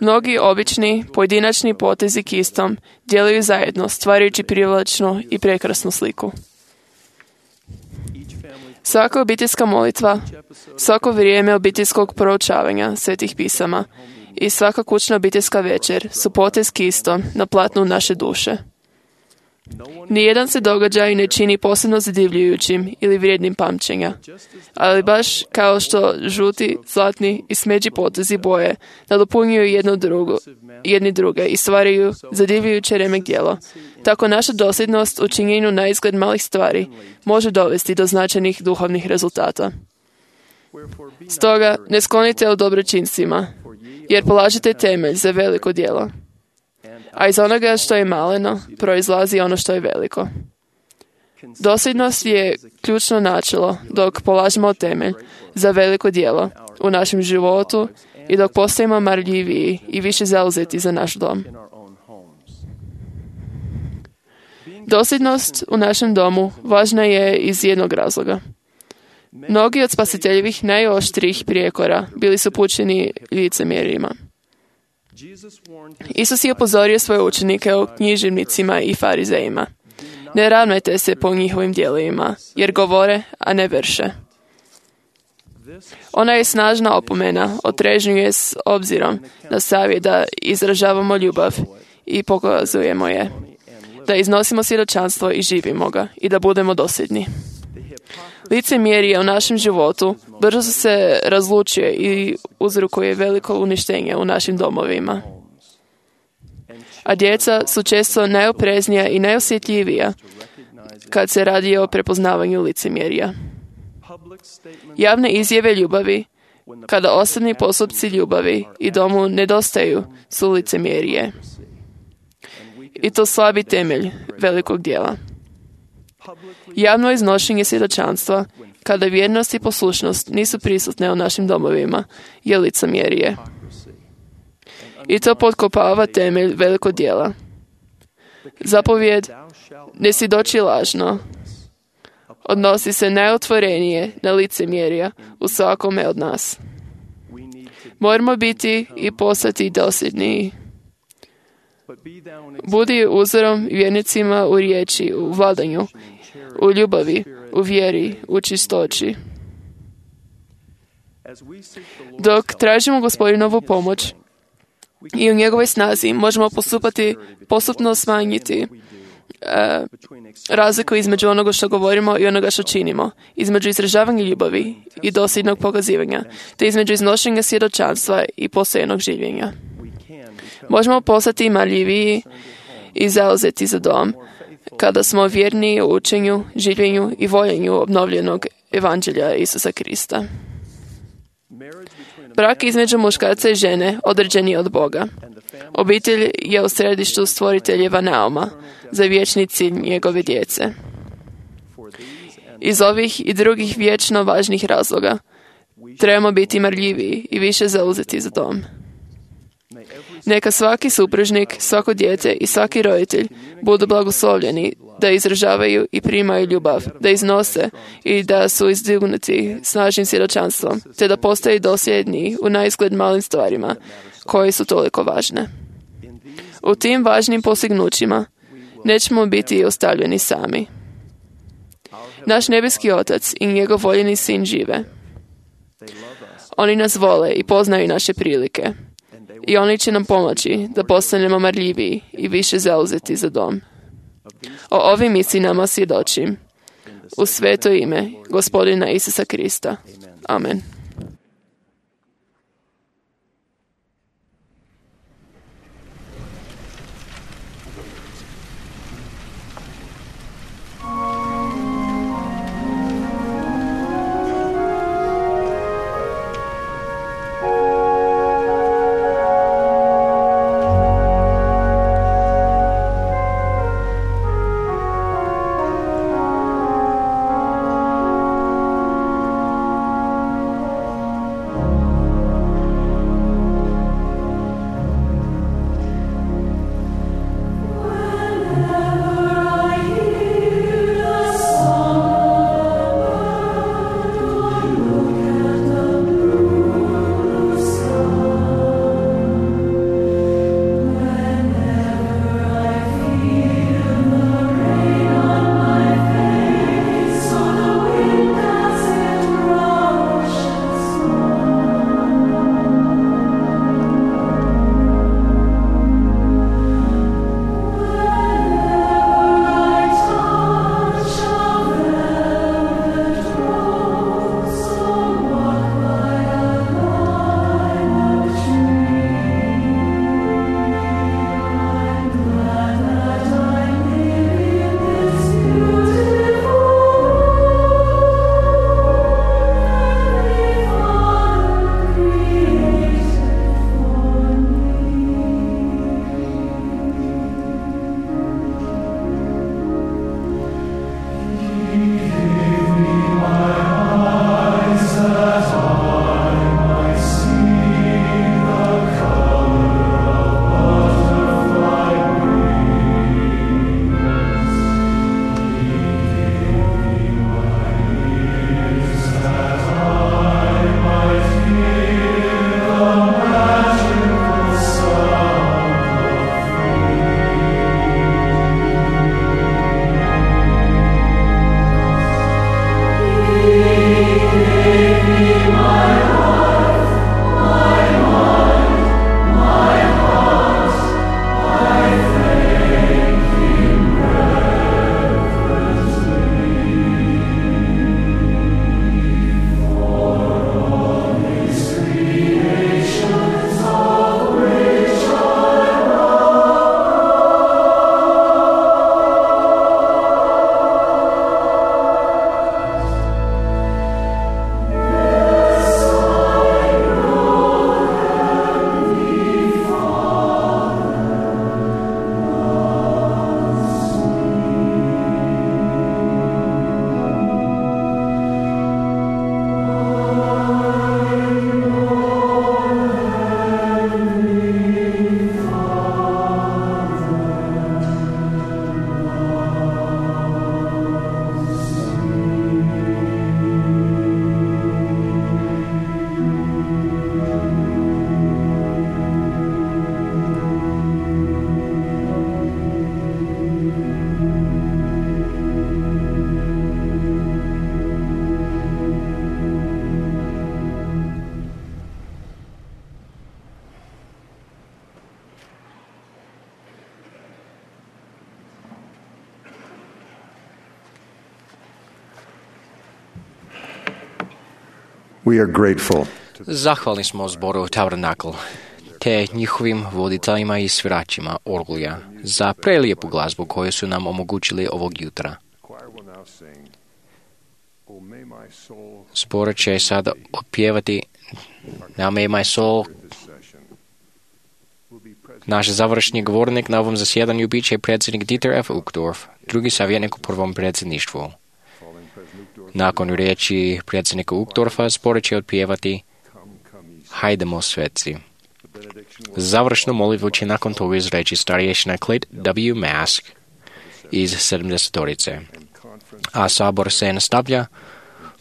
Mnogi obični pojedinačni potezi kistom djeluju zajedno, stvarajući privlačnu i prekrasnu sliku. Svaka obiteljska molitva, svako vrijeme obiteljskog proučavanja svetih pisama i svaka kućna obiteljska večer su potez kistom na platnu naše duše. Nijedan se događaj ne čini posebno zadivljujućim ili vrijednim pamćenja, ali baš kao što žuti, zlatni i smeđi potezi boje nadopunjuju jedno drugo, jedni druge i stvaraju zadivljujuće remek djelo, tako naša dosljednost u činjenju na izgled malih stvari može dovesti do značajnih duhovnih rezultata. Stoga ne sklonite u dobročinstvima, jer polažete temelj za veliko djelo. A iz onoga što je maleno proizlazi ono što je veliko. Dosljednost je ključno načelo dok polažemo temelj za veliko djelo u našem životu i dok postajemo marljiviji i više zauzeti za naš dom. Dosljednost u našem domu važna je iz jednog razloga. Mnogi od spasiteljevih najoštrijih prijekora bili su pučeni licemjerima. Isus je upozorio svoje učenike o književnicima i farizejima. Ne ravnajte se po njihovim djelima, jer govore, a ne vrše. Ona je snažna opomena, otrežnjuje s obzirom na savjet da izražavamo ljubav i pokazujemo je, da iznosimo svjedočanstvo i živimo ga i da budemo dosljedni. Licemjerje u našem životu brzo se razlučuje i uzrokuje veliko uništenje u našim domovima. A djeca su često najopreznija i najosjetljivija kad se radi o prepoznavanju licemjerja. Javne izjave ljubavi, kada osobni postupci ljubavi i domu nedostaju, su licemjerje. I to slabi temelj velikog djela. Javno iznošenje svjedočanstva, kada vjernost i poslušnost nisu prisutne u našim domovima, je licemjerje. I to potkopava temelj velikog djela. Zapovjed ne svjedoči lažno odnosi se najotvorenije na licemjerja u svakome od nas. Moramo biti i postati dosljedniji. Budi uzorom vjernicima u riječi, u vladanju, u ljubavi, u vjeri, u čistoći. Dok tražimo Gospodinovu pomoć i u njegovoj snazi možemo postupati, postupno smanjiti e, razliku između onoga što govorimo i onoga što činimo, između izražavanja ljubavi i dosljednog pokazivanja, te između iznošenja svjedočanstva i postojanog življenja. Možemo postati marljiviji i zauzeti za dom kada smo vjerni u učenju, življenju i voljenju obnovljenog evanđelja Isusa Krista. Brak između muškarca i žene određen je od Boga. Obitelj je u središtu stvoriteljeva nauma za vječni cilj njegove djece. Iz ovih i drugih vječno važnih razloga trebamo biti marljiviji i više zauzeti za dom. Neka svaki supružnik, svako dijete i svaki roditelj budu blagoslovljeni da izražavaju i primaju ljubav, da iznose i da su izdignuti snažnim svjedočanstvom, te da postaju dosljedni u naizgled malim stvarima koje su toliko važne. U tim važnim postignućima nećemo biti ostavljeni sami. Naš nebeski Otac i njegov voljeni Sin žive. Oni nas vole i poznaju naše prilike. I oni će nam pomoći da postanemo marljiviji i više zauzeti za dom. O ovim istinama svjedočim u sveto ime Gospodina Isusa Krista. Amen. We are grateful Zahvalni smo zboru Tabernakl te njihovim voditeljima i sviračima orgulja za prelijepu glazbu koju su nam omogućili ovog jutra. Zbor će sada otpjevati Now may my soul. Naš završni govornik na ovom zasjedanju bit će predsjednik Dieter F. Uchtdorf, drugi savjetnik u prvom predsjedništvu. Nakon riječi predsjednika Uchtdorfa zbor će otpjevati Hajdemo sveci. Završnu molitvu će nakon toga izreći starješina Clayt W. Mask iz sedamdesetorice. A sabor se nastavlja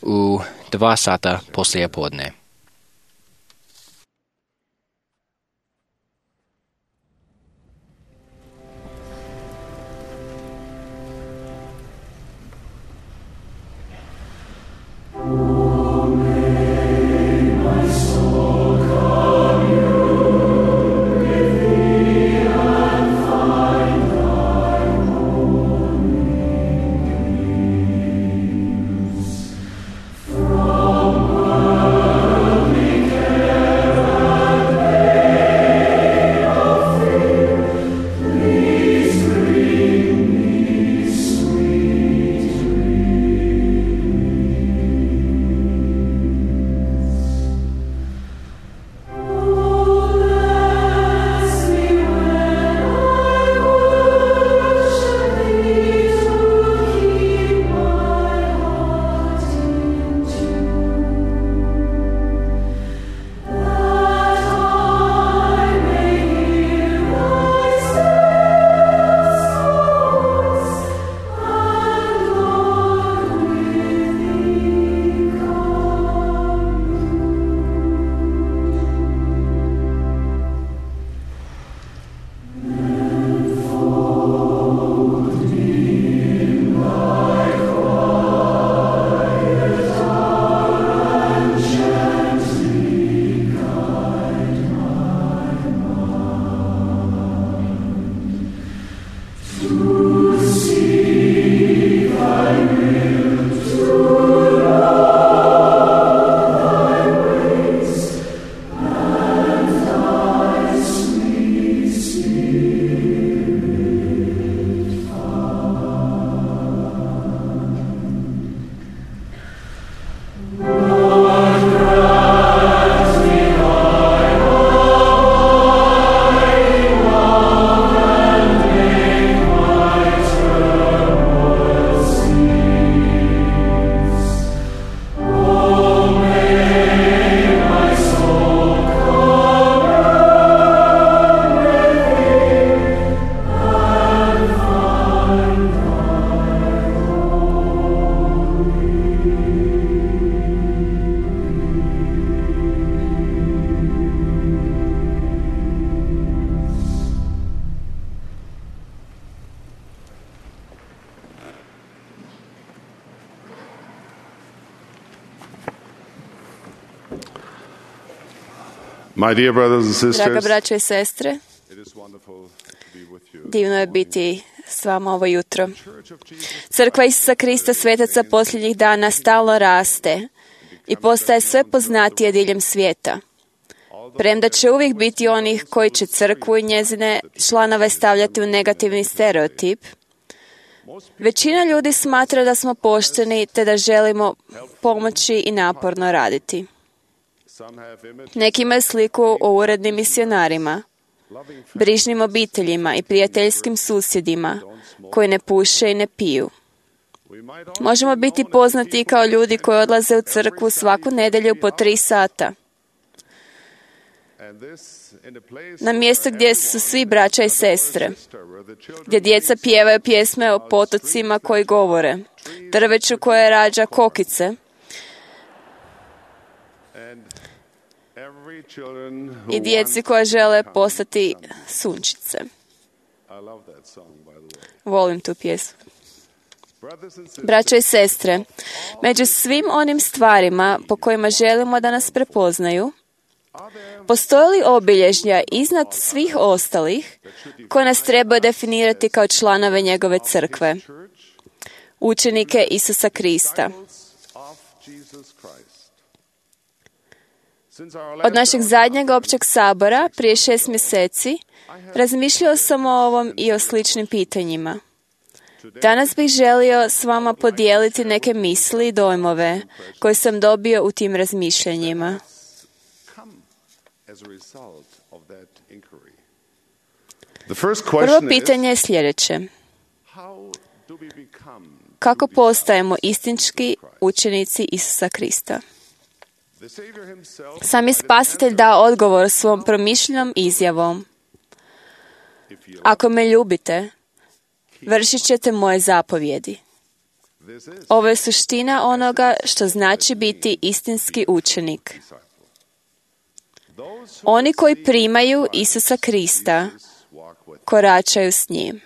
u dva sata poslije podne. My dear brothers and sisters, Draga braćo i sestre, divno je biti s vama ovo jutro. Crkva Isusa Krista, svetaca posljednjih dana, stalno raste i postaje sve poznatije diljem svijeta. Premda će uvijek biti onih koji će crkvu i njezine članove stavljati u negativni stereotip, većina ljudi smatra da smo pošteni te da želimo pomoći i naporno raditi. Neki imaju sliku o urednim misionarima, brižnim obiteljima i prijateljskim susjedima koji ne puše i ne piju. Možemo biti poznati kao ljudi koji odlaze u crkvu svaku nedjelju po tri sata. Na mjestu gdje su svi braća i sestre, gdje djeca pjevaju pjesme o potocima koji govore, drveću koje rađa kokice i djeci koja žele postati sunčice. Volim tu pjesmu. Braćo i sestre, među svim onim stvarima po kojima želimo da nas prepoznaju, postoje li obilježja iznad svih ostalih koje nas trebaju definirati kao članove njegove crkve, učenike Isusa Krista? Od našeg zadnjeg općeg sabora, prije šest mjeseci, razmišljao sam o ovom i o sličnim pitanjima. Danas bih želio s vama podijeliti neke misli i dojmove koje sam dobio u tim razmišljanjima. Prvo pitanje je sljedeće. Kako postajemo istinski učenici Isusa Krista? Sam je Spasitelj dao odgovor svom promišljenom izjavom. Ako me ljubite, vršit ćete moje zapovjedi. Ovo je suština onoga što znači biti istinski učenik. Oni koji primaju Isusa Krista, koračaju s njim.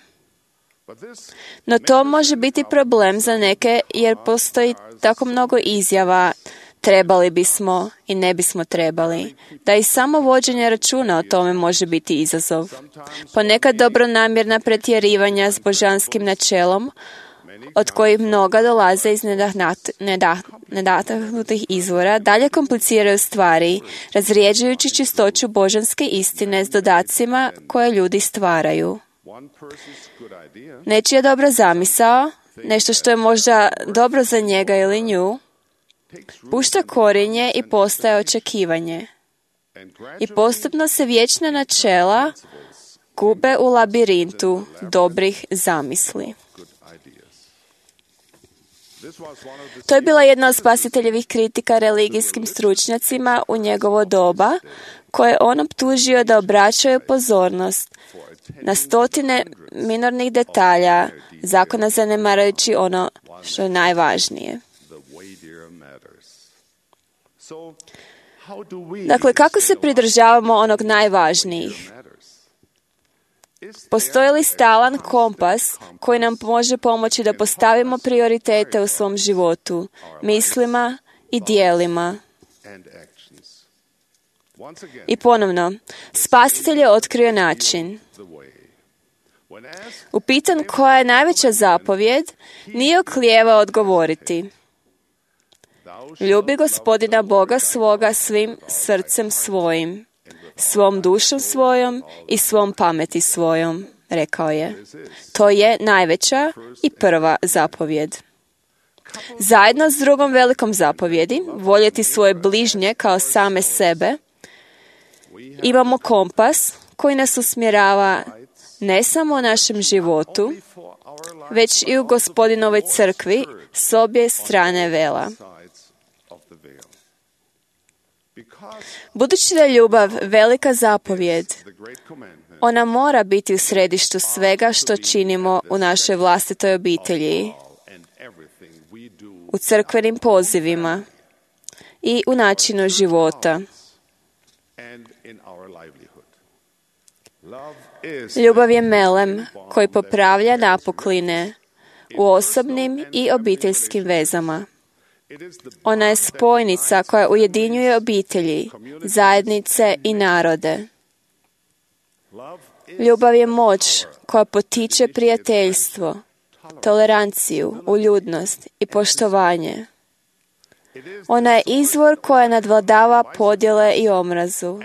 No to može biti problem za neke jer postoji tako mnogo izjava trebali bismo i ne bismo trebali, da i samo vođenje računa o tome može biti izazov. Ponekad dobronamjerna pretjerivanja s božanskim načelom, od kojih mnoga dolaze iz nedahnutih izvora, dalje kompliciraju stvari, razrijeđujući čistoću božanske istine s dodacima koje ljudi stvaraju. Nečija dobra zamisao, nešto što je možda dobro za njega ili nju, pušta korijenje i postaje očekivanje. I postupno se vječna načela gube u labirintu dobrih zamisli. To je bila jedna od Spasiteljevih kritika religijskim stručnjacima u njegovo doba, koje on optužio da obraćaju pozornost na stotine minornih detalja zakona, zanemarujući ono što je najvažnije. Dakle, kako se pridržavamo onog najvažnijih? Postoji li stalan kompas koji nam može pomoći da postavimo prioritete u svom životu, mislima i dijelima? I ponovno, Spasitelj je otkrio način. Upitan koja je najveća zapovjed, nije oklijevao odgovoriti. Ljubi Gospodina Boga svoga svim srcem svojim, svom dušom svojom i svom pameti svojom, rekao je. To je najveća i prva zapovjed. Zajedno s drugom velikom zapovjedi, voljeti svoje bližnje kao same sebe, imamo kompas koji nas usmjerava ne samo u našem životu, već i u Gospodinovoj crkvi s obje strane vela. Budući da je ljubav velika zapovjed, ona mora biti u središtu svega što činimo u našoj vlastitoj obitelji, u crkvenim pozivima i u načinu života. Ljubav je melem koji popravlja napukline u osobnim i obiteljskim vezama. Ona je spojnica koja ujedinjuje obitelji, zajednice i narode. Ljubav je moć koja potiče prijateljstvo, toleranciju, uljudnost i poštovanje. Ona je izvor koja nadvladava podjele i omrazu.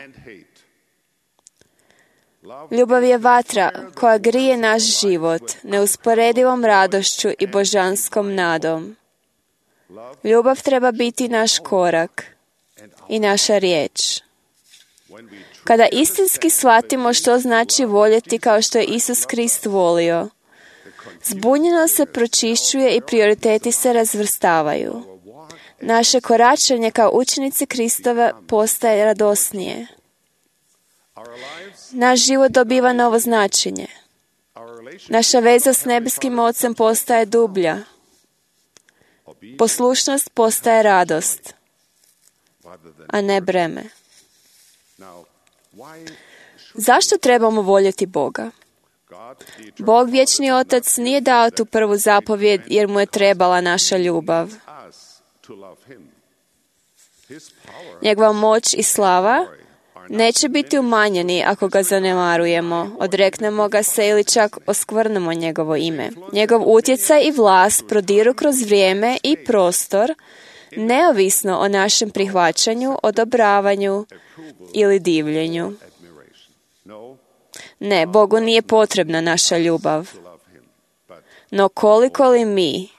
Ljubav je vatra koja grije naš život neusporedivom radošću i božanskom nadom. Ljubav treba biti naš korak i naša riječ. Kada istinski shvatimo što znači voljeti kao što je Isus Krist volio, zbunjeno se pročišćuje i prioriteti se razvrstavaju. Naše koračanje kao učenici Kristova postaje radosnije. Naš život dobiva novo značenje. Naša veza s nebeskim Ocem postaje dublja. Poslušnost postaje radost, a ne breme. Zašto trebamo voljeti Boga? Bog, vječni Otac, nije dao tu prvu zapovjed jer mu je trebala naša ljubav. Njegova moć i slava neće biti umanjeni ako ga zanemarujemo, odreknemo ga se ili čak oskvrnemo njegovo ime. Njegov utjecaj i vlast prodiru kroz vrijeme i prostor, neovisno o našem prihvaćanju, odobravanju ili divljenju. Ne, Bogu nije potrebna naša ljubav. No koliko li mi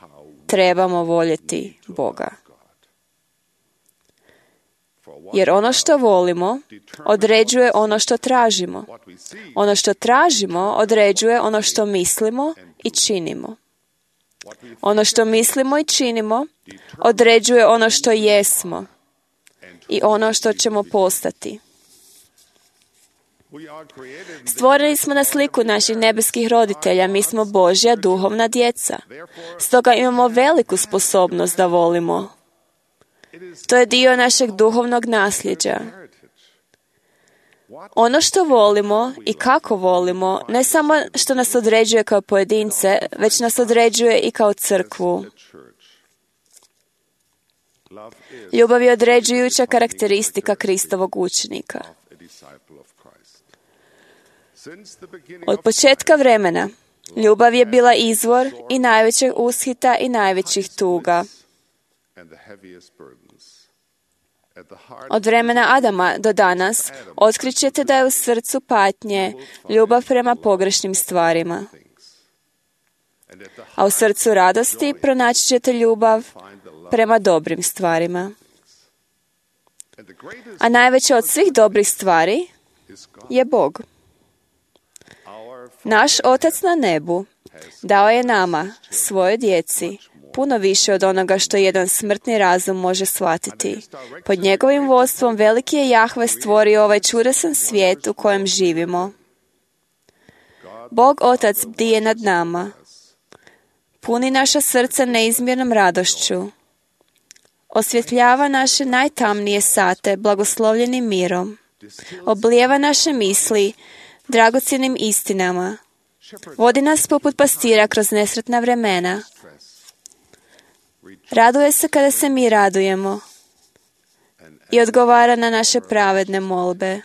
trebamo voljeti Boga? Jer ono što volimo određuje ono što tražimo. Ono što tražimo određuje ono što mislimo i činimo. Ono što mislimo i činimo određuje ono što jesmo i ono što ćemo postati. Stvoreni smo na sliku naših nebeskih roditelja, mi smo Božja duhovna djeca. Stoga imamo veliku sposobnost da volimo. To je dio našeg duhovnog nasljeđa. Ono što volimo i kako volimo, ne samo što nas određuje kao pojedince, već nas određuje i kao crkvu. Ljubav je određujuća karakteristika Kristovog učenika. Od početka vremena, ljubav je bila izvor i najvećeg ushita i najvećih tuga. Od vremena Adama do danas otkrićete da je u srcu patnje ljubav prema pogrešnim stvarima. A u srcu radosti pronaći ćete ljubav prema dobrim stvarima. A najveća od svih dobrih stvari je Bog. Naš Otac na nebu dao je nama, svojoj djeci, puno više od onoga što jedan smrtni razum može shvatiti. Pod njegovim vodstvom veliki je Jahve stvorio ovaj čudesan svijet u kojem živimo. Bog Otac bdije nad nama. Puni naša srca neizmjernom radošću. Osvjetljava naše najtamnije sate blagoslovljenim mirom. Oblijeva naše misli dragocjenim istinama. Vodi nas poput pastira kroz nesretna vremena. Raduje se kada se mi radujemo i odgovara na naše pravedne molbe.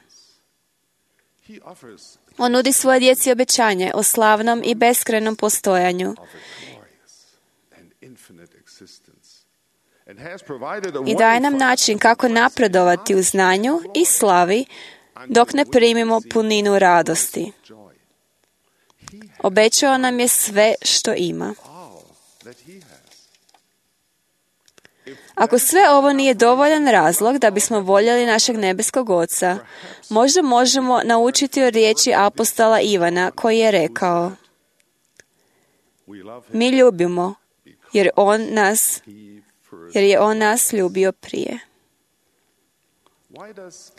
On nudi svoje djeci obećanje o slavnom i beskrajnom postojanju i daje nam način kako napredovati u znanju i slavi dok ne primimo puninu radosti. Obećao nam je sve što ima. Ako sve ovo nije dovoljan razlog da bismo voljeli našeg nebeskog Oca, možda možemo naučiti o riječi apostola Ivana koji je rekao: mi ljubimo jer on nas, jer je on nas ljubio prije.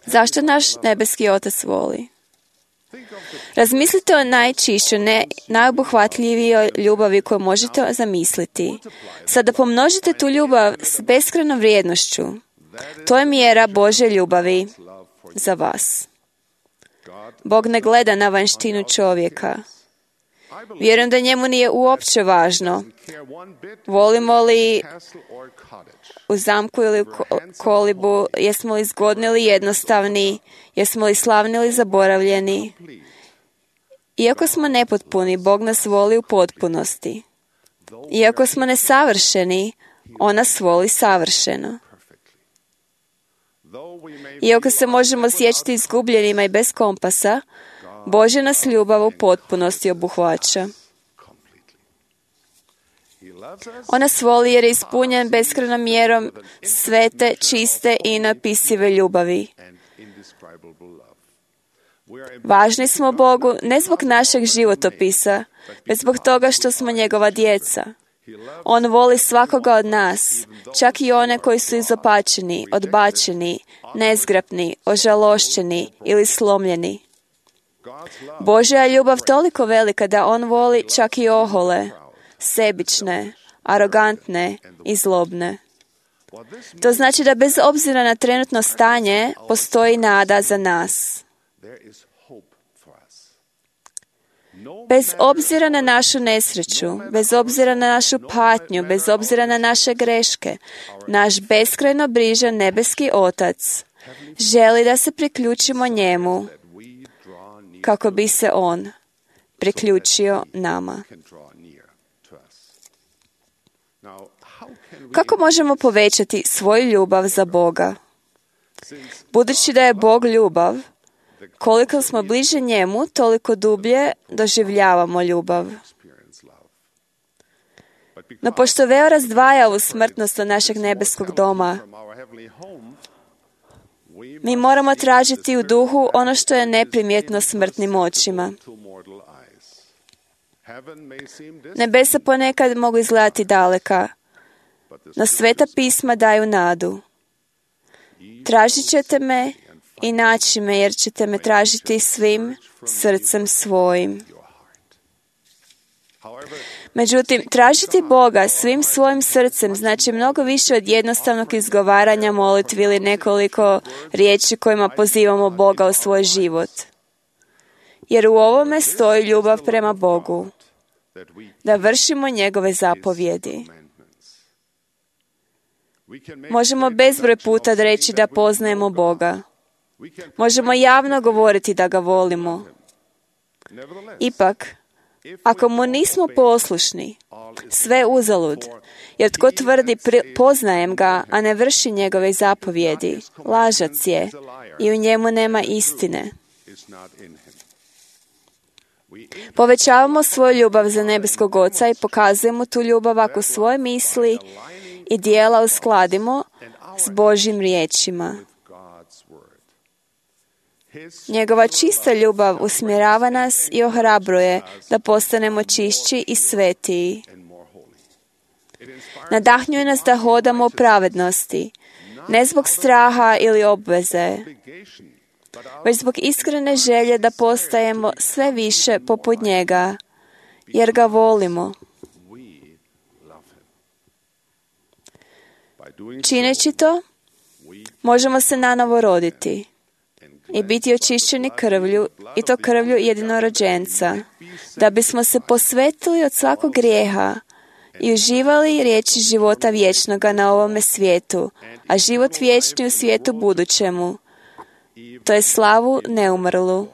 Zašto naš nebeski Otac voli? Razmislite o najčišćoj, ne, najobuhvatljivijoj ljubavi koju možete zamisliti. Sada pomnožite tu ljubav s beskrajnom vrijednošću. To je mjera Božje ljubavi za vas. Bog ne gleda na vanjštinu čovjeka. Vjerujem da njemu nije uopće važno volimo li u zamku ili u kolibu, jesmo li zgodni ili jednostavni, jesmo li slavni ili zaboravljeni. Iako smo nepotpuni, Bog nas voli u potpunosti. Iako smo nesavršeni, on nas voli savršeno. Iako se možemo osjećati izgubljenima i bez kompasa, Božja nas ljubav u potpunosti obuhvaća. On nas voli jer je ispunjen beskrajnom mjerom svete, čiste i neopisive ljubavi. Važni smo Bogu ne zbog našeg životopisa, već zbog toga što smo njegova djeca. On voli svakoga od nas, čak i one koji su izopačeni, odbačeni, nezgrapni, ožalošćeni ili slomljeni. Božja je ljubav toliko velika da on voli čak i ohole, sebične, arogantne i zlobne. To znači da bez obzira na trenutno stanje postoji nada za nas. Bez obzira na našu nesreću, bez obzira na našu patnju, bez obzira na naše greške, naš beskrajno brižan nebeski Otac želi da se priključimo njemu kako bi se on priključio nama. Kako možemo povećati svoju ljubav za Boga? Budući da je Bog ljubav, koliko smo bliže njemu, toliko dublje doživljavamo ljubav. No pošto veo razdvaja u smrtnost od našeg nebeskog doma, mi moramo tražiti u duhu ono što je neprimjetno smrtnim očima. Nebesa ponekad mogu izgledati daleka, no sveta pisma daju nadu. Tražit ćete me i naći me, jer ćete me tražiti svim srcem svojim. Međutim, tražiti Boga svim svojim srcem znači mnogo više od jednostavnog izgovaranja molitvi ili nekoliko riječi kojima pozivamo Boga u svoj život. Jer u ovome stoji ljubav prema Bogu, da vršimo njegove zapovjedi. Možemo bezbroj puta reći da poznajemo Boga. Možemo javno govoriti da ga volimo. Ipak, ako mu nismo poslušni, sve uzalud, jer tko tvrdi pri, poznajem ga, a ne vrši njegove zapovjedi, lažac je i u njemu nema istine. Povećavamo svoju ljubav za nebeskog Oca i pokazujemo tu ljubav ako svoje misli i dijela uskladimo s Božjim riječima. Njegova čista ljubav usmjerava nas i ohrabruje da postanemo čišći i svetiji. Nadahnjuje nas da hodamo u pravednosti, ne zbog straha ili obveze, već zbog iskrene želje da postajemo sve više poput njega, jer ga volimo. Čineći to, možemo se nanovo roditi i biti očišćeni krvlju, i to krvlju jedinorođenca, da bismo se posvetili od svakog grijeha i uživali riječi života vječnoga na ovome svijetu, a život vječni u svijetu budućemu, to je slavu neumrlu.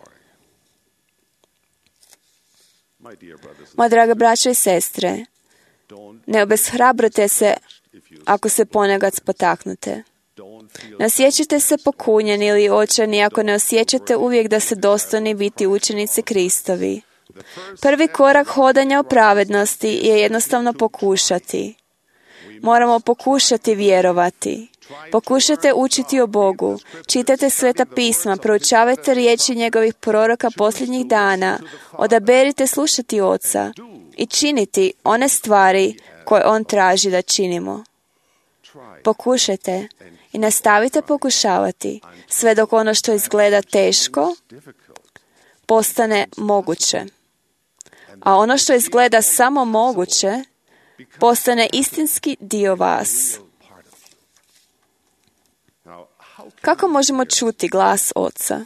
Moja draga braćo i sestre, ne obeshrabrite se ako se ponekad spotaknute. Ne osjećate se pokunjeni ili očajni ako ne osjećate uvijek da ste dostojni biti učenici Kristovi. Prvi korak hodanja u pravednosti je jednostavno pokušati. Moramo pokušati vjerovati. Pokušajte učiti o Bogu, čitajte sveta pisma, proučavajte riječi njegovih proroka posljednjih dana, odaberite slušati Oca i činiti one stvari koje On traži da činimo. Pokušajte i nastavite pokušavati sve dok ono što izgleda teško postane moguće. A ono što izgleda samo moguće postane istinski dio vas. Kako možemo čuti glas Oca?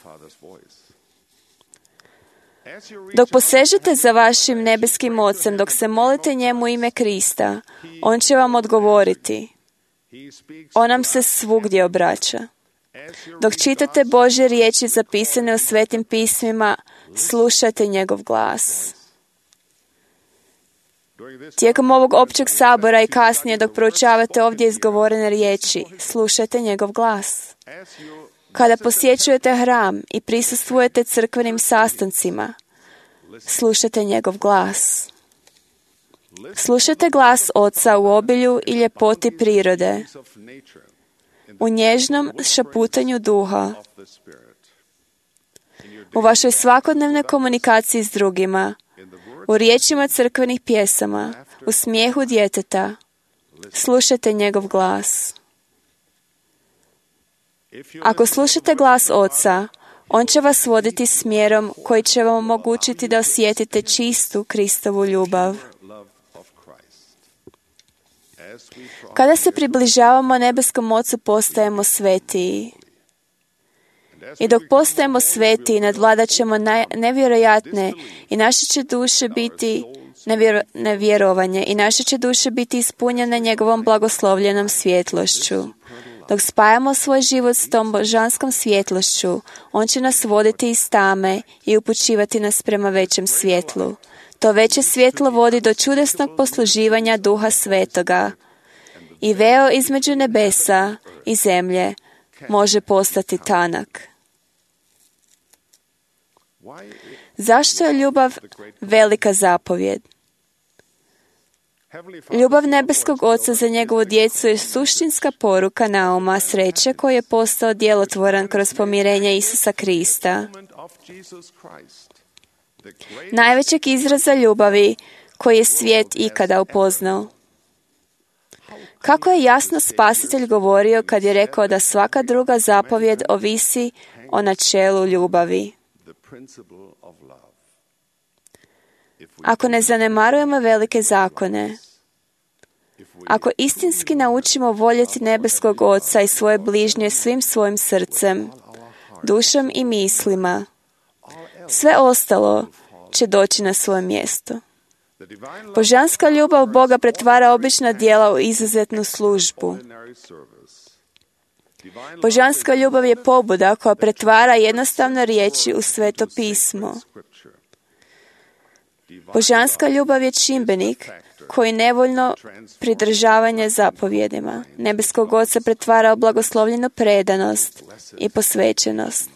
Dok posežete za vašim nebeskim Ocem, dok se molite njemu u ime Krista, On će vam odgovoriti. On nam se svugdje obraća. Dok čitate Božje riječi zapisane u svetim pismima, slušajte njegov glas. Tijekom ovog općeg sabora i kasnije dok proučavate ovdje izgovorene riječi, slušajte njegov glas. Kada posjećujete hram i prisustvujete crkvenim sastancima, slušajte njegov glas. Slušajte glas Oca u obilju i ljepoti prirode, u nježnom šaputanju duha, u vašoj svakodnevnoj komunikaciji s drugima, u riječima crkvenih pjesama, u smijehu djeteta. Slušajte njegov glas. Ako slušate glas Oca, On će vas voditi smjerom koji će vam omogućiti da osjetite čistu Kristovu ljubav. Kada se približavamo nebeskom Ocu, postajemo svetiji. I dok postajemo svetiji, nadvladat ćemo nevjerojatne i naše će duše biti nevjero, nevjerovanje i naše će duše biti ispunjene njegovom blagoslovljenom svjetlošću. Dok spajamo svoj život s tom božanskom svjetlošću, On će nas voditi iz tame i upućivati nas prema većem svjetlu. To veće svjetlo vodi do čudesnog posluživanja Duha Svetoga i veo između nebesa i zemlje može postati tanak. Zašto je ljubav velika zapovjed? Ljubav nebeskog Oca za njegovu djecu je suštinska poruka nauma sreće koji je postao djelotvoran kroz pomirenje Isusa Krista. Najvećeg izraza ljubavi koji je svijet ikada upoznao. Kako je jasno Spasitelj govorio kad je rekao da svaka druga zapovjed ovisi o načelu ljubavi. Ako ne zanemarujemo velike zakone, ako istinski naučimo voljeti nebeskog Oca i svoje bližnje svim svojim srcem, dušom i mislima, sve ostalo će doći na svoje mjesto. Božanska ljubav Boga pretvara obična djela u izuzetnu službu. Božanska ljubav je pobuda koja pretvara jednostavne riječi u sveto pismo. Božanska ljubav je čimbenik koji nevoljno pridržavanje zapovjedima nebeskog Oca pretvara u blagoslovljenu predanost i posvećenost.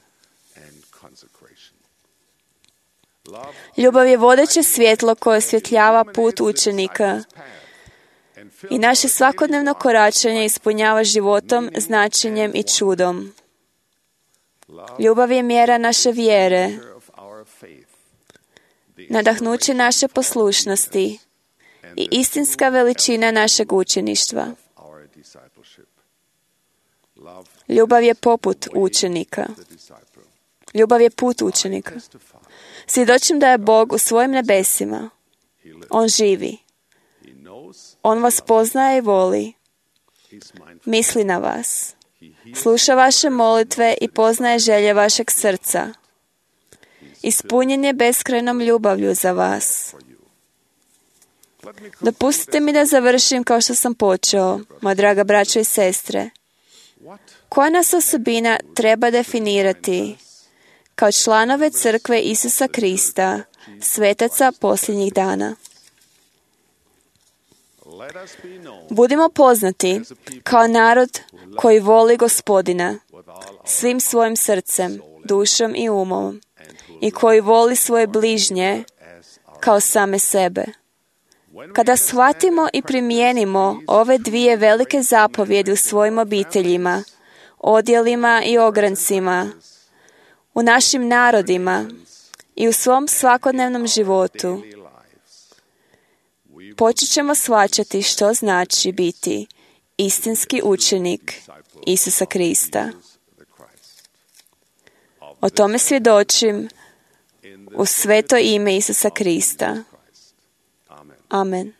Ljubav je vodeće svjetlo koje osvjetljava put učenika i naše svakodnevno koračanje ispunjava životom, značenjem i čudom. Ljubav je mjera naše vjere, nadahnuće naše poslušnosti i istinska veličina našeg učeništva. Ljubav je poput učenika. Ljubav je put učenika. Svjedočim da je Bog u svojim nebesima. On živi. On vas poznaje i voli. Misli na vas. Sluša vaše molitve i poznaje želje vašeg srca. Ispunjen je beskrajnom ljubavlju za vas. Dopustite mi da završim kao što sam počeo, moja draga braćo i sestre. Koja nas osobina treba definirati kao članove crkve Isusa Krista, svetaca posljednjih dana? Budimo poznati kao narod koji voli Gospodina svim svojim srcem, dušom i umom i koji voli svoje bližnje kao same sebe. Kada shvatimo i primijenimo ove dvije velike zapovjedi u svojim obiteljima, odjelima i ograncima, u našim narodima i u svom svakodnevnom životu, počet ćemo shvaćati što znači biti istinski učenik Isusa Krista. O tome svjedočim u sveto ime Isusa Krista. Amen.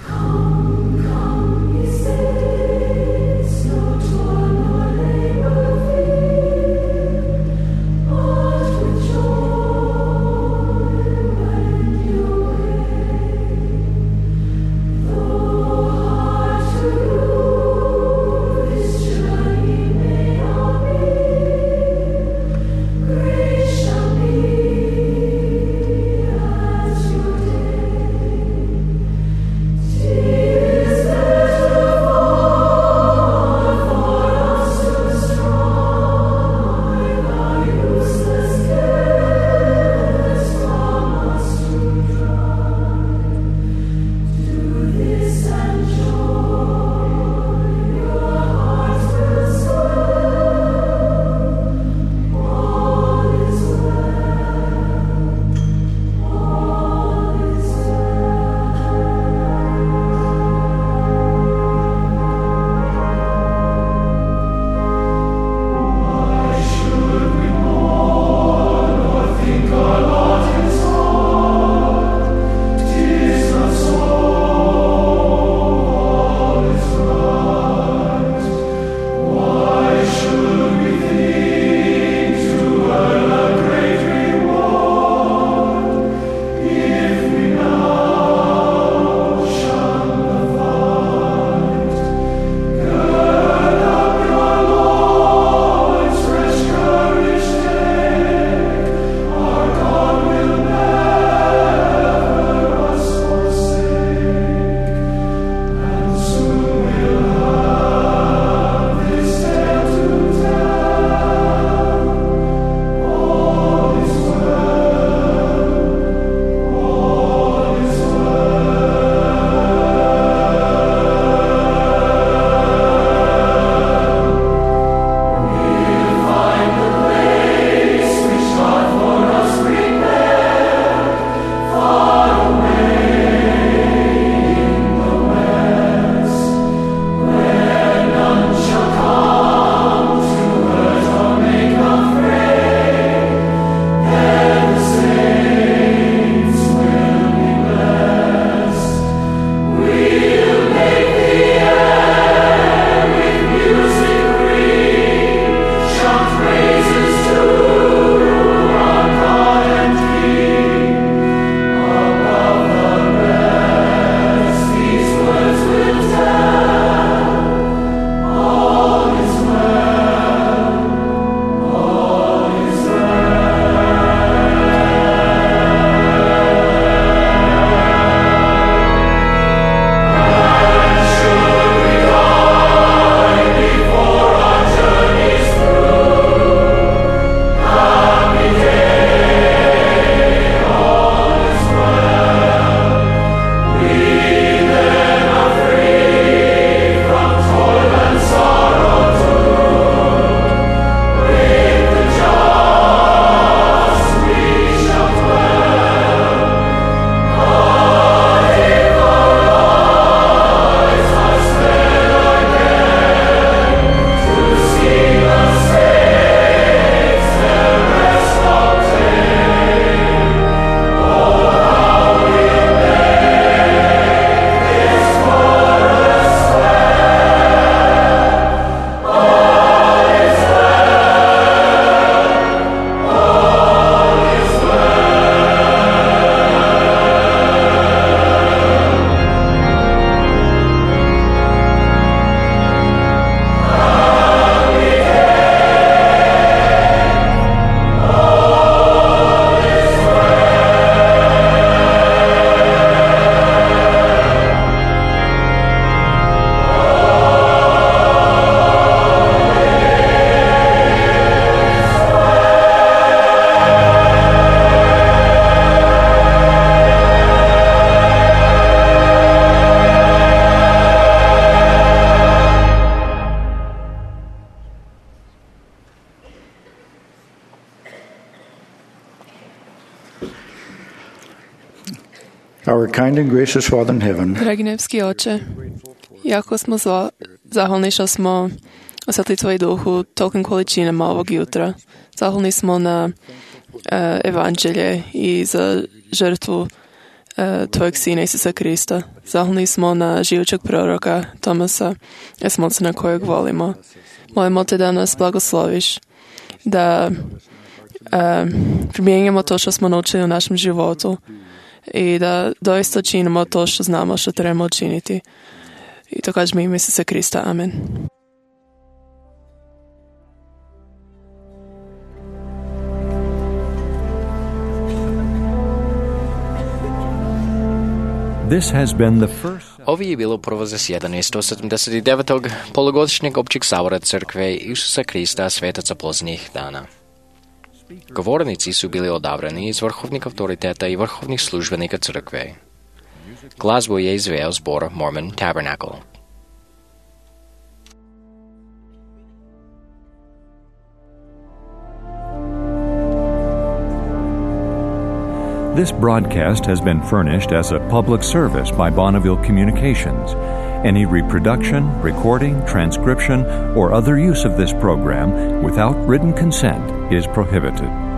May kind and gracious Father in heaven, Dragi nebeský Oče, jako smo zva, zahvalni što smo osjetili Tvoj duh u tolikim količinama ovog jutra. Zahvalni smo na uh, evanđelje i za žrtvu uh, Tvojeg Sina Isusa Krista. Zahvalni smo na živućeg proroka Tomasa Esmonca na kojeg volimo. Molimo Te da nas blagosloviš, da uh, primijenjamo to što smo naučili u našem životu i da doista činimo to što znamo što trebamo učiniti. I to kažemo ime Isusa Krista. Amen. This has been the first... Ovo je bilo prvo zasjedanje sto sedamdeset devetog polugodišnjeg općeg sabora Crkve Isusa Krista svetaca posljednjih dana. Govornici su bili odabrani iz vrhovnih autoriteta i vrhovnih službenika Crkve. Glazbu je izveo zbor Mormon Tabernacle. This broadcast has been furnished as a public service by Bonneville Communications. Any reproduction, recording, transcription, or other use of this program without written consent is prohibited.